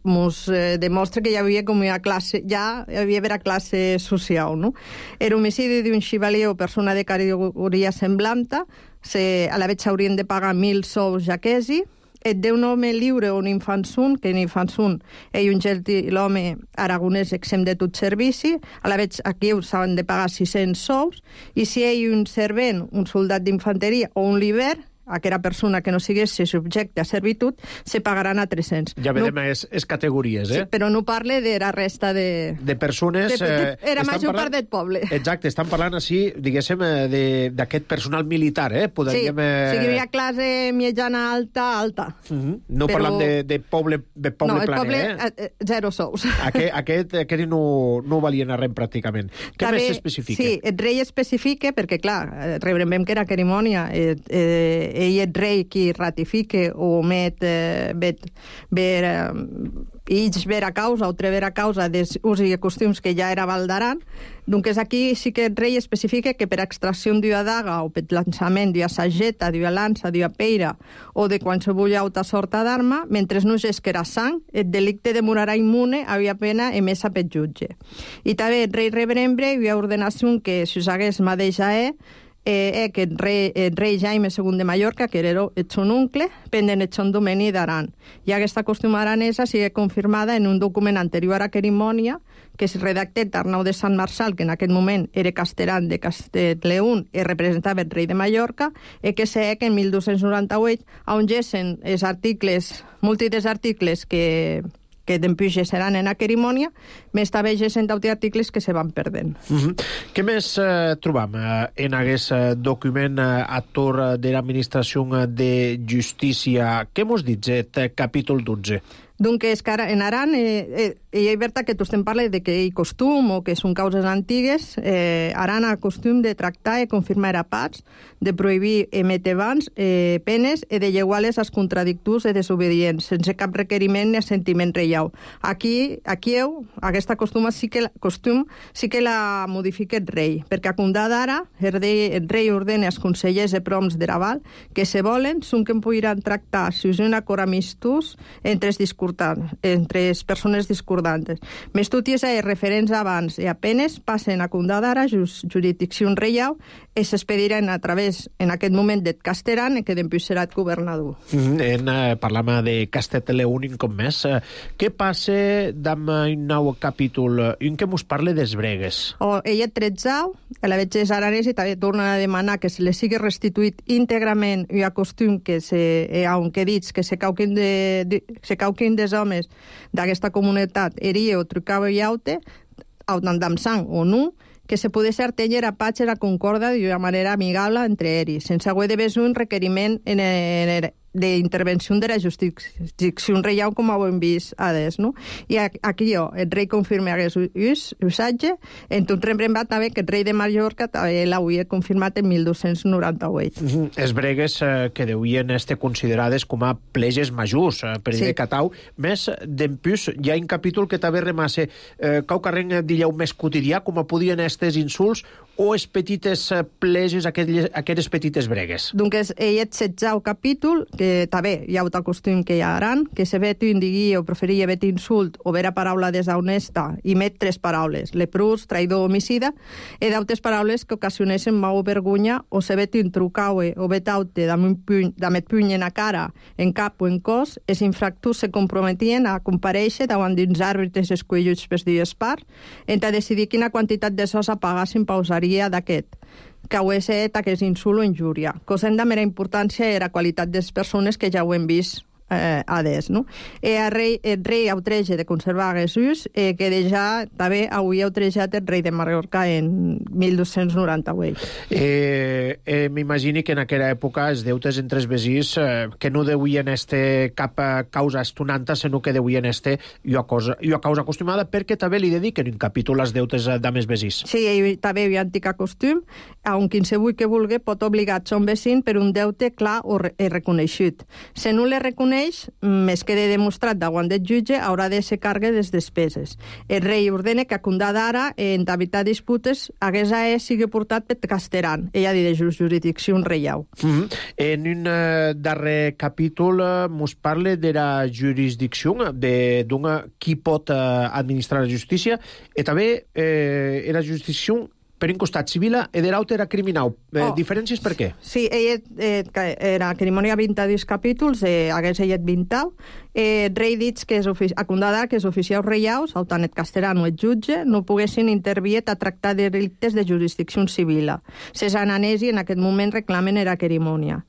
mos eh, demostra que hi havia com una classe, ja hi havia vera classe social, no? El homicidi d'un xivalier o persona de categoria semblanta, se, a la vegada s'haurien de pagar mil sous jaquesi, et deu un home lliure o un infansun, que un infansun és un gentilhome aragonès exempt de tot servici, a la vegada aquí s'han de pagar sis-cents sous, i si hi ha un servent, un soldat d'infanteria o un liber, aquella persona que no sigués subjecte a servitud, se pagaran a tres-cents. Ja vedem, no, és, és categories, eh? Sí, però no parle de la resta de... De persones... De, de, era eh, major parlant, part del poble. Exacte, estan parlant així, diguéssim, d'aquest personal militar, eh? Podríem, sí, o sigui, hi ha classe mitjana alta, alta. Uh -huh. No però... parlant de, de poble, de poble no, el planer, poble, eh? eh? Zero sous. Aquest, aquest, aquest no, no valien a res, pràcticament. Què També, més s'especifica? Sí, el rei especifica, perquè, clar, rebrem que era cerimònia, eh, eh, ell és rei qui ratifique o met eh, bet, ver, eh, ells ver a causa o trever a causa dels usos i costums que ja era Val d'Aran. Doncs aquí sí que el rei especifica que per extracció d'una daga o per llançament d'una sageta, d'una lança, d'una peira o de qualsevol altra sorta d'arma, mentre no gesquera sang, el delicte demorarà immune havia pena emesa pel jutge. I també el rei rebrembre hi ha ordenació que si us hagués mateixa eh, eh, que el rei, el rei Jaime segon de Mallorca, que era el son oncle, pendent el son domini d'Aran. I aquesta costum aranesa sigue confirmada en un document anterior a cerimònia que es redacté Arnau de Sant Marçal, que en aquell moment era castellan de Castellleón i representava el rei de Mallorca, i que sé que en mil dos-cents noranta-vuit, on gessen els articles, múltiples articles que... que d'empuixes seran en la cerimònia, més també gessen d'altres articles que se van perdent. Uh -huh. Què més eh, trobam eh, en aquest eh, document eh, actor de l'Administració de Justícia? Què mos dit, eh, capítol dotze? Donc, és que ara, en Aran, eh, eh, és veritat que tu estem parlant de que hi ha costum o que són causes antigues. Eh, Aran ha costum de tractar i confirmar apats, de prohibir emetre bans, eh, penes i de lleguar-les als contradictors i desobedients, sense cap requeriment ni assentiment reial. Aquí, aquí heu, aquesta costum sí que, costum sí que la modifica el rei, perquè a condar d'ara, el rei, el rei ordena als consellers de proms de Raval que, se volen, són que podran tractar si us un acord amistós entre els discursos entre les persones discordantes. Més tot i és referents abans i apenes passen a condar d'ara jurisdicció reial i s'expediran a través, en aquest moment, del Casteran, que després serà el governador. Mm, en, eh, parlam de Castellleón un cop més. Eh, què passa amb un nou capítol en què mos parla dels bregues? Oh, ella tretzau, a la veig és aranès i també torna a demanar que se li sigui restituït íntegrament i a costum que se, eh, aunque dits que se cauquin de, de se cauquin des homes d'aquesta comunitat eria o trucava i aute, autant sang o no, que se pogués artenyer a patx la concorda d'una manera amigable entre ells, sense haver de veure un requeriment en, en, d'intervenció de la jurisdicció reial, com ho hem vist adés, no? I aquí jo, el rei confirma aquest usatge, en tot rebrembat també que el rei de Mallorca també l'havia confirmat en mil dos-cents noranta-vuit. Mm -hmm. Els bregues eh, que deurien estar considerades com a pleges majors, eh, per sí. Catau. Més d'empús, hi ha un capítol que també remasse eh, cau carreng d'illeu més quotidià, com a podien estes insults, o els petites pleges, aquelles, aquelles petites bregues? Donc, ell és setzau capítol, que també hi ha un costum que hi ha Aran, que se vet un digui o preferia vet insult o vera paraula deshonesta i met tres paraules, leprós, traïdor, homicida, i d'altres paraules que ocasioneixen mau vergonya o se vet un trucaue o vet aute d'amet puny, puny en la cara, en cap o en cos, els infractors se comprometien a comparèixer davant d'uns àrbitres escolluts per dues parts, entre decidir quina quantitat de sos a pagar s'impausaria d'aquest, que ho és aquest insult o injúria. Cosa de mera importància era la qualitat de les persones que ja ho hem vist eh, adés, no? I el rei, el rei autreja de conservar Jesús, eh, que ja també havia outrejat el rei de Mallorca en mil dos-cents noranta-vuit. Eh, eh, M'imagini que en aquella època els deutes entre els vesins eh, que no deuen estar cap causa estonanta, sinó que deuen estar i a causa, i a causa acostumada, perquè també li dediquen un capítol als deutes d'amés vesins. Sí, i també hi ha antic costum, on qualsevol que vulgui pot obligar son vecí per un deute clar o re reconeixut. Si no le reconeix, més quede demostrat davant del jutge, haurà de ser càrrega de les despeses. El rei ordena que a condar d'ara, en d'evitar disputes, hagués a ell sigui portat per Casteran, ella dit de jurisdicció reial. Mm -hmm. En un uh, darrer capítol uh, mos parla de la jurisdicció, d'una qui pot uh, administrar la justícia, i també eh, la jurisdicció per un costat civila e der altre era criminal. Eh, Oh. Diferències per què? Sí, ell eh, era cerimònia vint dos capítols, eh, hagués ell vint. Eh, rei dits que és ofici... a condadar que els oficials reials, autant et castellano et jutge, no poguessin intervir a tractar de delictes de jurisdicció civila. Ses ananesi en aquest moment reclamen era cerimònia.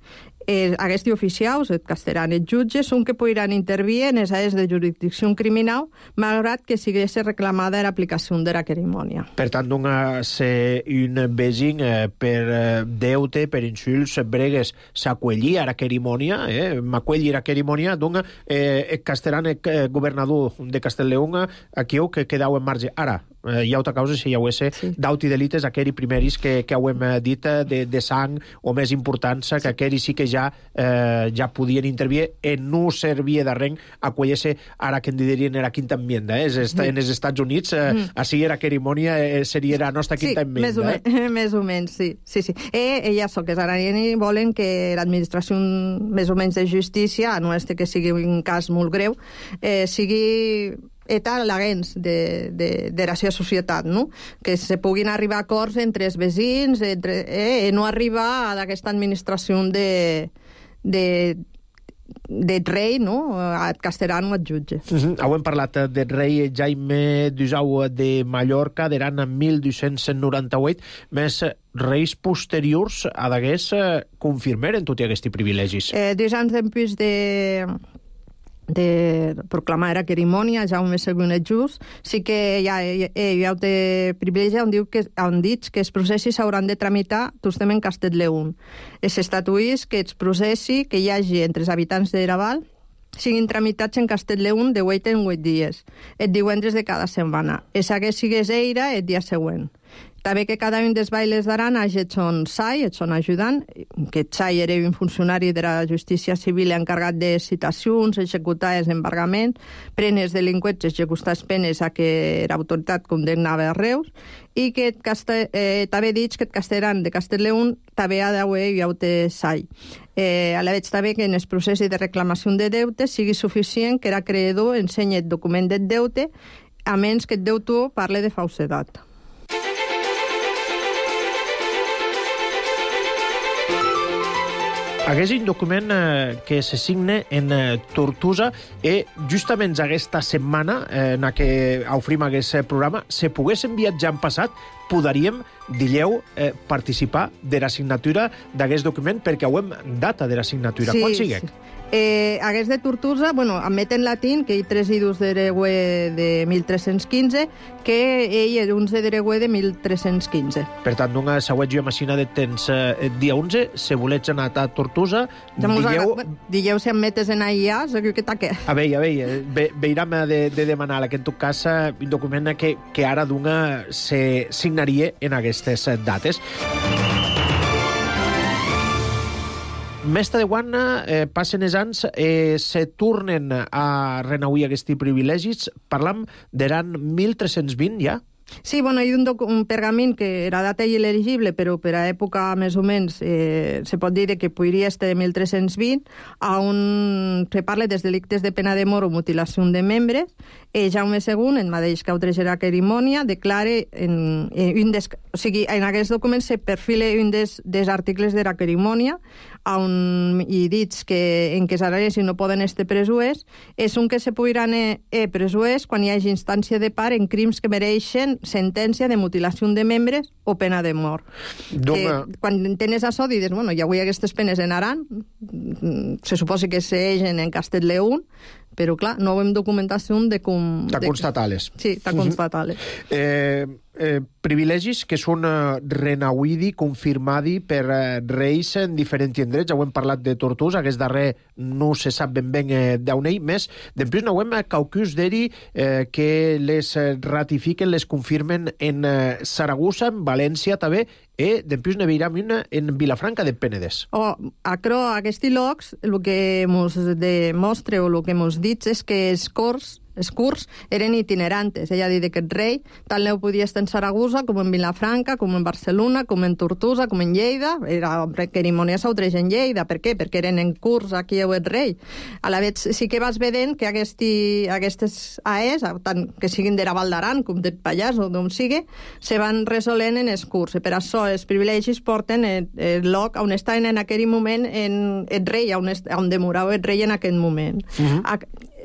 Eh, aquests oficials, et castellan et jutges, són que podran intervir en les àrees de jurisdicció criminal, malgrat que sigués reclamada l'aplicació de la cerimònia. Per tant, donar ser un vesin eh, per eh, deute, per insults, bregues, s'aquellir a la cerimònia, eh, m'aquellir a la cerimònia, dona eh, el castellan, el eh, governador de Castellleón, aquí que quedau en marge. Ara, eh, hi ha altra causa si hi hagués sí. d'auti delites, aquells primeris que, que ho hem dit de, de sang o més importants, que aquells sí que ja eh, ja podien intervir i no servia de res acollir-se ara que en dirien era quinta enmienda. Eh? Mm. En els Estats Units, eh, mm. així era cerimònia, eh, seria la nostra quinta sí, enmienda. Més o, eh? més o menys, sí. sí, sí. Eh, ella so que Saranieni volen que l'administració més o menys de justícia, no és que sigui un cas molt greu, eh, sigui eta l'agens de, de, de la seva societat, no? Que se puguin arribar a acords entre els veïns, entre, eh, no arribar a aquesta administració de, de, de rei, no? Et castellano, et jutge. Uh-huh. Heu parlat del rei Jaime d'Usau de Mallorca, d'eran en mil dos-cents noranta-vuit, més reis posteriors a d'agués confirmeren tots aquests privilegis. Eh, dos anys després de... de proclamar la cerimònia, Jaume segon et just, sí que hi ha, hi ha un privilegi on, diu que, on dit que els processos s'hauran de tramitar tostem en Castellleón. Es estatuís que els processi que hi hagi entre els habitants de Raval siguin tramitats en Castellleón de vuit en vuit dies, et divendres de cada setmana. Es hagués sigués eira el dia següent. També que cada un dels bailes d'Aran hagi et son sai, et son ajudant, que el sai era un funcionari de la justícia civil encarregat de citacions, executar els embargaments, pren els delinqüents, executar les penes a què l'autoritat condemnava a Reus, i que eh, també dit que el castellan de Castellleón també ha d'haver hi hagut sai. Eh, a la veig també que en el procés de reclamació de deute sigui suficient que l'acreedor ensenyi el document del deute, a menys que el deutor parle de falsedat. Hagués un document eh, que se signe en eh, Tortosa i justament aquesta setmana eh, en què ofrim aquest programa se pogués enviar ja en passat, podríem, dilleu, eh, participar de la signatura d'aquest document perquè ho hem data de la signatura. Sí, quan sigui? Sí. Eh, hagués de Tortosa, bueno, admet en latín que hi tres idus d'Eregüe de mil tres-cents quinze, que ell és onze d'Eregüe de mil tres-cents quinze. Per tant, una següent jo imagina de temps eh, dia onze, se volets anar a Tortosa, dilleu... Dilleu si admetes en allà, segur que taque. A veure, a veure, ve, veiram de, de demanar que en tot cas un document que, que ara d'una se signaria en aquestes dates. Més de quan eh, passen els anys, eh, se tornen a renauir aquests privilegis. Parlam d'eran mil tres-cents vint, ja? Sí, bueno, hi ha un, un pergament que era data il·legible, però per a època més o menys eh, se pot dir que podria estar de mil tres-cents vint, on se parla dels delictes de pena de mort o mutilació de membres. Eh, Jaume segon, en mateix que autoritza la cerimònia, declare en, en, un des, o sigui, en aquest document se perfila un des, des articles de la cerimònia, on hi dits que en què s'arresi no poden estar presuers, és un que se podran eh, presuers quan hi hagi instància de part en crims que mereixen sentència de mutilació de membres o pena de mort. Que, quan tens això, dius, bueno, hi havia aquestes penes en Aran, se suposa que s'eixen en Castellleón, però, clar, no veiem documentació de com... De constatar-les. Sí, de constatar-les. eh, eh, privilegis que són eh, renauidi, confirmadi per eh, reis en diferents indrets. Ja ho hem parlat de Tortosa, aquest darrer no se sap ben ben eh, d'on ell, més. Després no ho hem caucus d'eri eh, que les ratifiquen, les confirmen en eh, Saragossa, en València també, i després ne veiram una en Vilafranca de Penedès. Oh, acro, aquests llocs, el que ens demostra o el que ens dit és que els cors els curs eren itinerantes. Ella dit que el rei tant no podia estar en Saragossa com en Vilafranca, com en Barcelona, com en Tortosa, com en Lleida. Era cerimònia s'autreix en Lleida. Per què? Perquè eren en curs aquí el rei. A la vegada sí que vas vedent que aquesti, aquestes A Es, tant que siguin de la Val d'Aran com del Pallars o d'on sigui, se van resolent en els curs. I per això els privilegis porten el, el lloc on estaven en aquell moment en el rei, on, est, on demorava el rei en aquell moment. Uh-huh.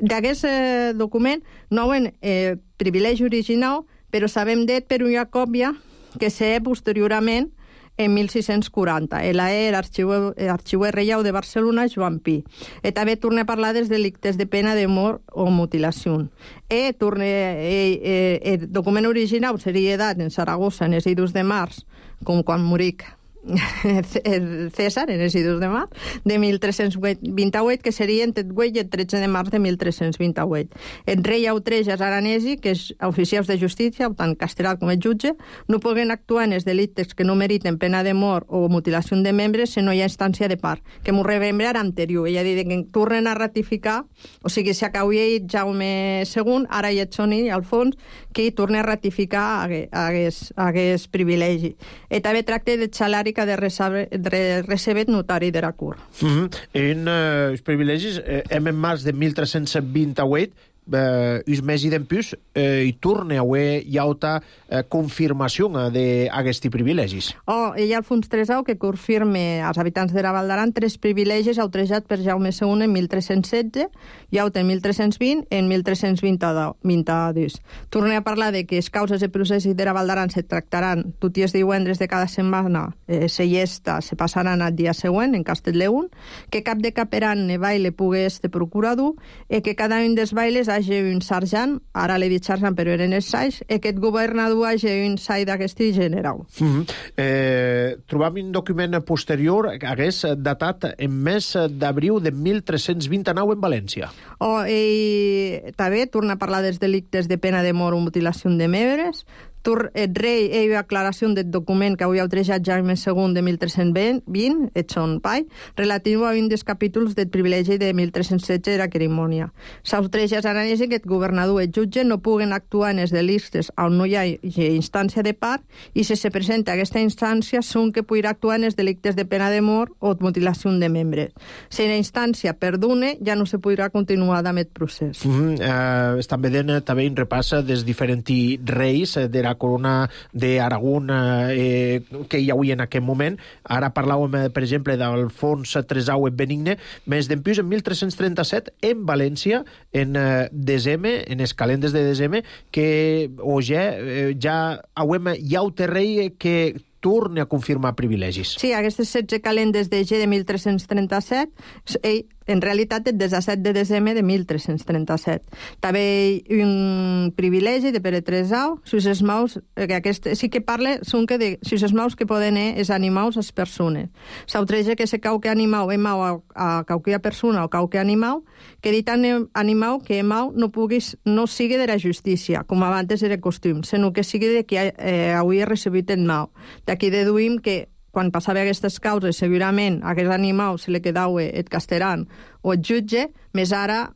D'aquest eh, document no hi ha eh, privilegi original, però sabem d'ell per una còpia que sé posteriorment en mil sis-cents quaranta. Ella era arxiver reial de Barcelona, Joan Pi. I també torna a parlar dels delictes de pena de mort o mutilació. I torna, eh, eh, el document original seria dat en Saragossa en els idus de març, com quan moric el César, en els idus de març, de mil tres-cents vint-i-vuit, que seria entre el vuit i el tretze de març de mil tres-cents vint-i-vuit. El rei Autrejas Aranesi, que és oficials de justícia, tant castellà com el jutge, no poden actuar en els delictes que no meriten pena de mort o mutilació de membres si no hi ha instància de part, que m'ho remembra era anterior. Ella dit que tornen a ratificar, o sigui, si acabia Jaume segon, ara hi ha Soni, al fons, que torna a ratificar aquest privilegi. I també tracta de salari que de recebet notari de la cur. Mm-hmm. En uh, els privilegis, eh, hem en març de mil tres-cents vint-i-vuit, eh, us mesi d'empús, eh, i torna a haver llauta eh, confirmació d'aquests privilegis. Oh, hi ha Alfons tresau que confirme als habitants de la Val d'Aran tres privilegis autrejats per Jaume segon en mil tres-cents setze, llauta en mil tres-cents vint i en mil tres-cents vint-i-dos. Torna a parlar de que les causes de processos de la Val d'Aran se tractaran tots els divendres de cada setmana, eh, se llesta, se passaran al dia següent en Castellleun, que cap de caperan ne baile pugui estar procurador, i que cada un dels bailes hagi un sergent, ara l'he dit sergent però eren els sais, i que el governador hagi un sai d'aquest general. Mm-hmm. eh, trobam un document posterior que hagués datat en mes d'abril de mil tres-cents vint-i-nou en València. Oh, i també torna a parlar dels delictes de pena de mort o mutilació de membres. El rei hi ha aclaració del document que havia autrejat Jaume segon de mil tres-cents vint, et son pai, relatiu a un dels capítols del privilegi de mil tres-cents setze de la cerimònia. S'autreja Aranesi que el governador i el jutge no puguen actuar en els delictes on no hi ha instància de part, i si se presenta aquesta instància són que podrà actuar en els delictes de pena de mort o mutilació de membres. Si la instància perdone, ja no se podrà continuar amb el procés. Mm-hmm. uh, estan veient també un repàs dels diferents reis de la corona d'Aragón eh, que hi havia en aquest moment. Ara parlàvem, per exemple, d'Alfons tresau en Benigne, més d'empús en mil tres-cents trenta-set en València, en eh, desembre, en els calendes de desembre, que o ja, eh, ja hauem hi ha un rei que torna a confirmar privilegis. Sí, aquestes setze calendes de G de mil tres-cents trenta-set, ell, en realitat, el disset de desembre de mil tres-cents trenta-set. També un privilegi de Pere tresau, sus els maus, que aquest sí que parla, són que de sus els maus que poden ser els animals, les persones. S'autreja que se qualque animal és mau a, a qualque persona o qualque animal, que dit animal que mau no puguis, no sigui de la justícia, com abans era costum, sinó que sigui de qui eh, hauria recebut el mau. D'aquí deduïm que quan passava aquestes causes, segurament a aquest animal se li quedava el castellan o el jutge, més ara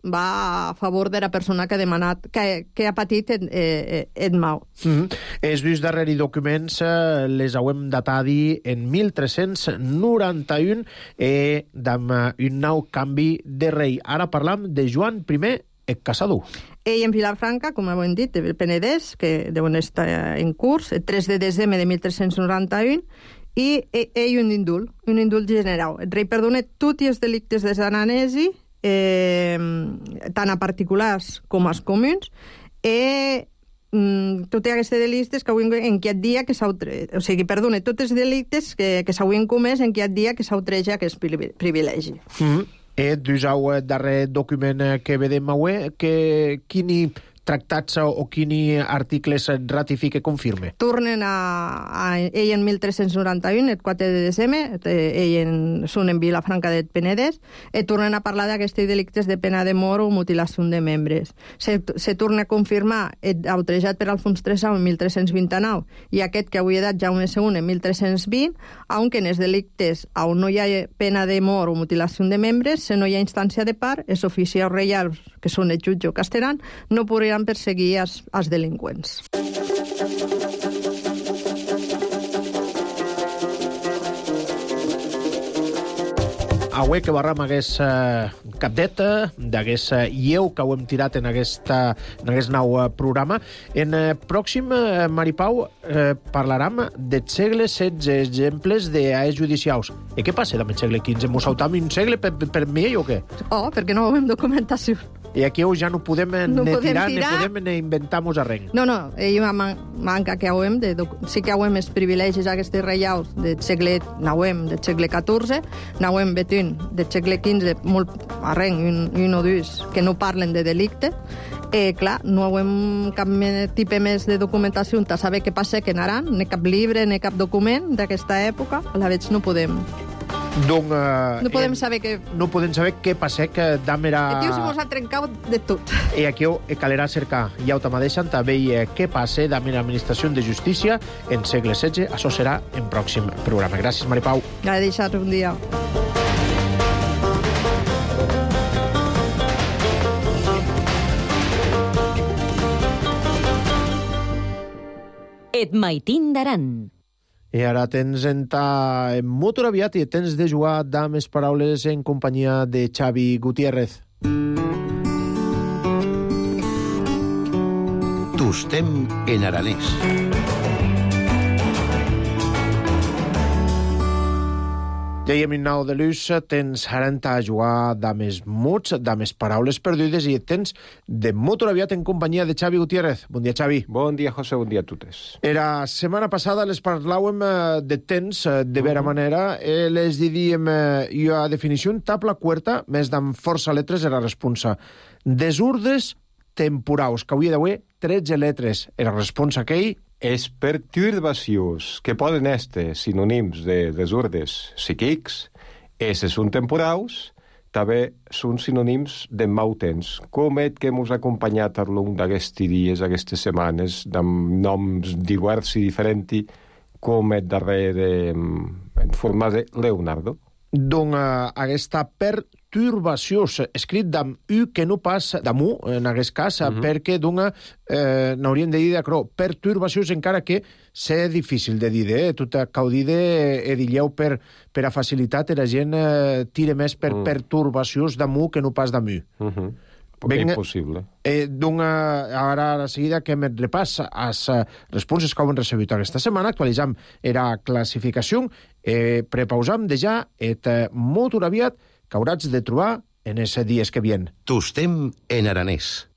va a favor de la persona que ha demanat, que, que ha patit el, el, el mau. Mm-hmm. Els dos darrers documents eh, les hauem datat en mil tres-cents noranta-un eh, amb un nou canvi de rei. Ara parlam de Joan primer el Caçador. Ell en Vilafranca, com hem dit, el Penedès, que deuen estar en curs, el tres de desembre de mil tres-cents noranta-un, i ell un indult, un indult general. El rei perdona tots els delictes de Aranesi, eh, tant a particulars com als comuns, i mm, tots aquests delictes que avui en aquest dia que s'autreja, o sigui, perdona, tots els delictes que, que s'haurien comès en aquest dia que s'autreja aquest privilegi. Mm-hmm. E dus au darrer document que vedem avui, que quini tractats o quini articles ratifica confirme? Tornen a, a ell en mil tres-cents noranta-un, el quatre de desembre, ell en, són en Vilafranca del Penedès, i tornen a parlar d'aquests delictes de pena de mort o mutilació de membres. Se, se torna a confirmar el autrejat per Alfons tresau en mil tres-cents vint-i-nou i aquest que avui ha dat Jaume segon en mil tres-cents vint, aunque en els delictes on no hi ha pena de mort o mutilació de membres, si no hi ha instància de part, els oficials reials que són el jutge o casteran, no podran perseguir els, els delinqüents. Avui que barram hagués eh, capdeta, d'hagués eh, lleu que ho hem tirat en, aquesta, en aquest nou eh, programa. En eh, pròxim, eh, Maripau, eh, parlarem del segle setze, exemples d'AEs judicials. I què passa amb el segle quinze? Mos saltam un segle per, per, per mi o què? Oh, perquè no veiem documentació. I aquí ja no podem no ne podem tirar, tirar, ne podem ne inventar-nos arreng. No, no, ell man manca que hauem de... Sí que hauem els privilegis aquests reials del segle nouem, del segle catorze, nouem vetin del segle quinze, molt arreng, un, un o dos, que no parlen de delicte. Eh, clar, no hauem cap tipus més de documentació on saber què passa que en Aran, ni cap llibre, ni cap document d'aquesta època. A la veig no podem... Donc, uh, no podem saber què... No podem saber què passa, que dam era... El tio se mos ha trencat de tot. I aquí calerà cercar, ja ho mateixen, també què passa dam era administració de justícia en segle setze. Això serà en pròxim programa. Gràcies, Maripau. Ja he deixat un dia. Et maitin d'Aran. I ara tens en ta en motor aviat i tens de jugar dames paraules en companyia de Xavi Gutiérrez. Tostem en aranès. Dèiem en nou de l'ús, tens ara a jugar dames muts, dames paraules perdudes i tens de motor aviat en companyia de Xavi Gutiérrez. Bon dia, Xavi. Bon dia, José, bon dia a totes. Era setmana passada les parlàvem de temps, de vera manera, eh, les didíem jo a definició, tabla quarta, més d'en força letres era responsa. Desurdes temporaus, que avui d'avui tretze letres era responsa aquell. Els perturbacions que poden estar sinònims de desurdes psíquics, esses són temporaus, també són sinònims de mau temps, com el que ens ha acompanyat a long d'aquests dies, aquestes setmanes, amb noms diversos i diferents, com el darrer de, en forma de Leonardo. Donc, uh, aquesta perturbació, escrit d'am U que no pas d'am U, en aquest cas, mm -hmm. perquè d'una, eh, n'hauríem de dir d'acrò, perturbacions encara que sé difícil de dir, eh? Tot cau dir de edilleu per, per a facilitat, la gent eh, tira més per mm. perturbacions d'am U que no pas d'am U. Mm -hmm. Ben, impossible. Eh, D'una, ara a la seguida que me repàs les uh, responses que hem recebut aquesta setmana, actualitzam era classificació, eh, prepausam de ja et uh, molt aviat que hauràs de trobar en els dies que vien. Tostem en aranès.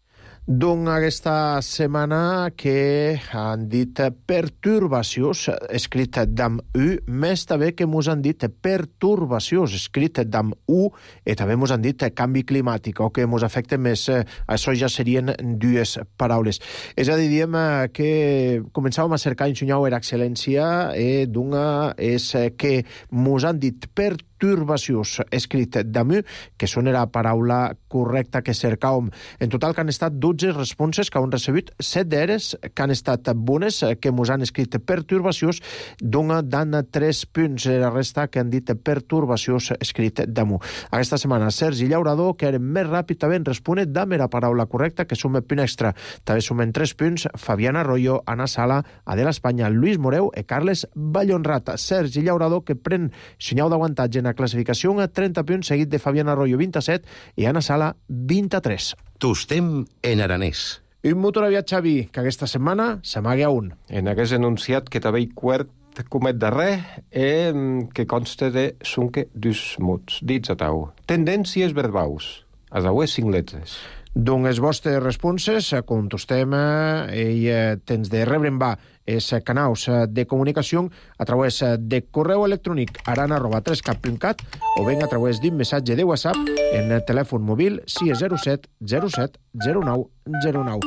Doncs aquesta setmana que han dit perturbacions, escrit d'am U, més també que mos han dit perturbacions, escrit d'am U, i també mos han dit canvi climàtic, o que mos afecta més. Això ja serien dues paraules. És a dir, diem que començàvem a cercar ensenyar era excel·lència, i d'una és que mos han dit perturbacions, perturbacions, escrit d'am U, que són la paraula correcta que cercàvem. En total que han estat dotze responses que han recebut, set d'elles que han estat bones, que mos han escrit perturbacions, dona dan tres punts, la resta que han dit perturbacions, escrit d'am U. Aquesta setmana, Sergi Llaurador, que era més ràpid també en respondre d'am la paraula correcta, que sumen punt extra. També sumen tres punts, Fabiana Arroyo, Ana Sala, Adela Espanya, Lluís Moreu i Carles Vallhonrat. Sergi Llaurador, que pren senyal d'avantatge en classificació a trenta punts, seguit de Fabiana Arroyo, vint-i-set, i Ana Sala, vint-i-tres. Tostem en aranès. Un motor aviat, Xavi, que aquesta setmana s'amaga un. En aquest enunciat que també hi quart comet darrer, eh, que consta de sunque dus mots, dits a tau. Tendències verbaus, a dauer cinc letres. Doncs les vostres responses, contestem i eh, tens de rebre en va els canals de comunicació a través de correu electrònic aran arroba trescat punt cat o ben a través d'un missatge de WhatsApp en el telèfon mòbil sis zero set zero set zero nou zero nou.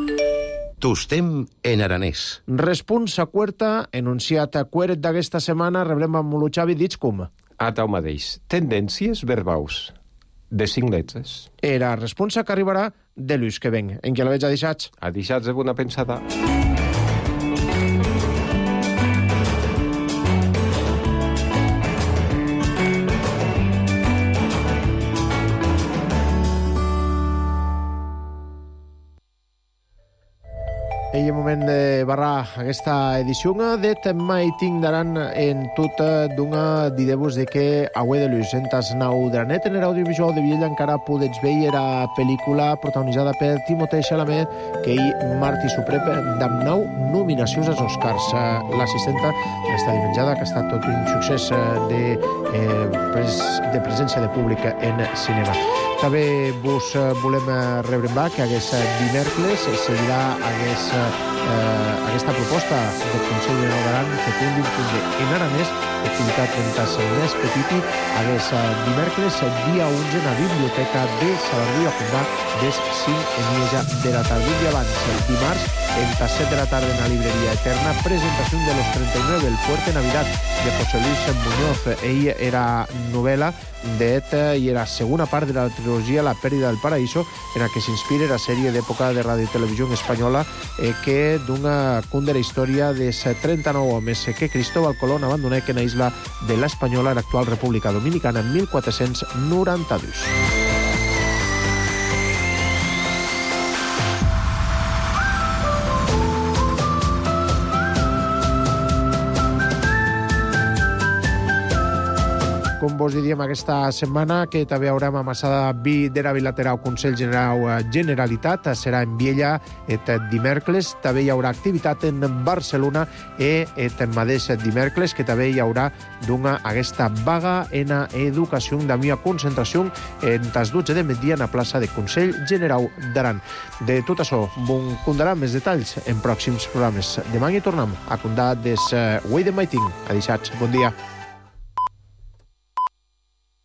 Tostem en aranès. Responsa quarta, enunciat queret d'aquesta setmana, rebrem amb lo Xavi, dits com? A tau mateix. Tendències verbaus, de cinc letres. Era responsa que arribarà de l'ús que ven. En què la veig a deixats? A deixats de bona pensada. Ei moment de barrar aquesta edició de mai tindaran en tot d'una didebus de que Aue de Luz entas nau de la net en l'audiovisual de Viella encara podets veure la pel·lícula protagonitzada per Timothée Chalamet que hi Martí Suprep d'am nau nominacions als Oscars. L'assistenta està dimenjada que ha estat tot un succés de, eh, pres, de presència de públic en cinema. També vos volem rebre en va que hagués dimecres seguirà hagués eh, aquesta proposta del Consell General d'Aran que té un difundi en aranès activitat mentas més petiti hagués dimecres dia onze en la biblioteca de Saladí a Fundà des cinc en mitja de la tarda. Un dia abans, el dimarts, entre set de la tarda en la libreria Eterna, presentació de los treinta y nueve del Fuerte Navidad de José Luis Muñoz. Ell era novel·la d'et i era segona part de la trilogia La Pèrdida del Paraíso, en la que s'inspira la sèrie d'època de ràdio i televisió espanyola eh, que d'una cunda la història de trenta-nou homes que Cristóbal Colón abandonà en la isla de l'Espanyola, l'actual República Dominicana, en mil quatre-cents noranta-dos. Com vos diríem aquesta setmana, que també haurem amassada vi de la bilateral Consell General Generalitat, serà en Viella et dimecres, també hi haurà activitat en Barcelona e et mateix dimecres, que també hi haurà d'una aquesta vaga en educació de mia concentració en tas dotze de migdia en la plaça de Consell General d'Aran. De tot això, bon contarà més detalls en pròxims programes. Demà hi tornem a contar des Way de Maiting. Adixats, bon dia.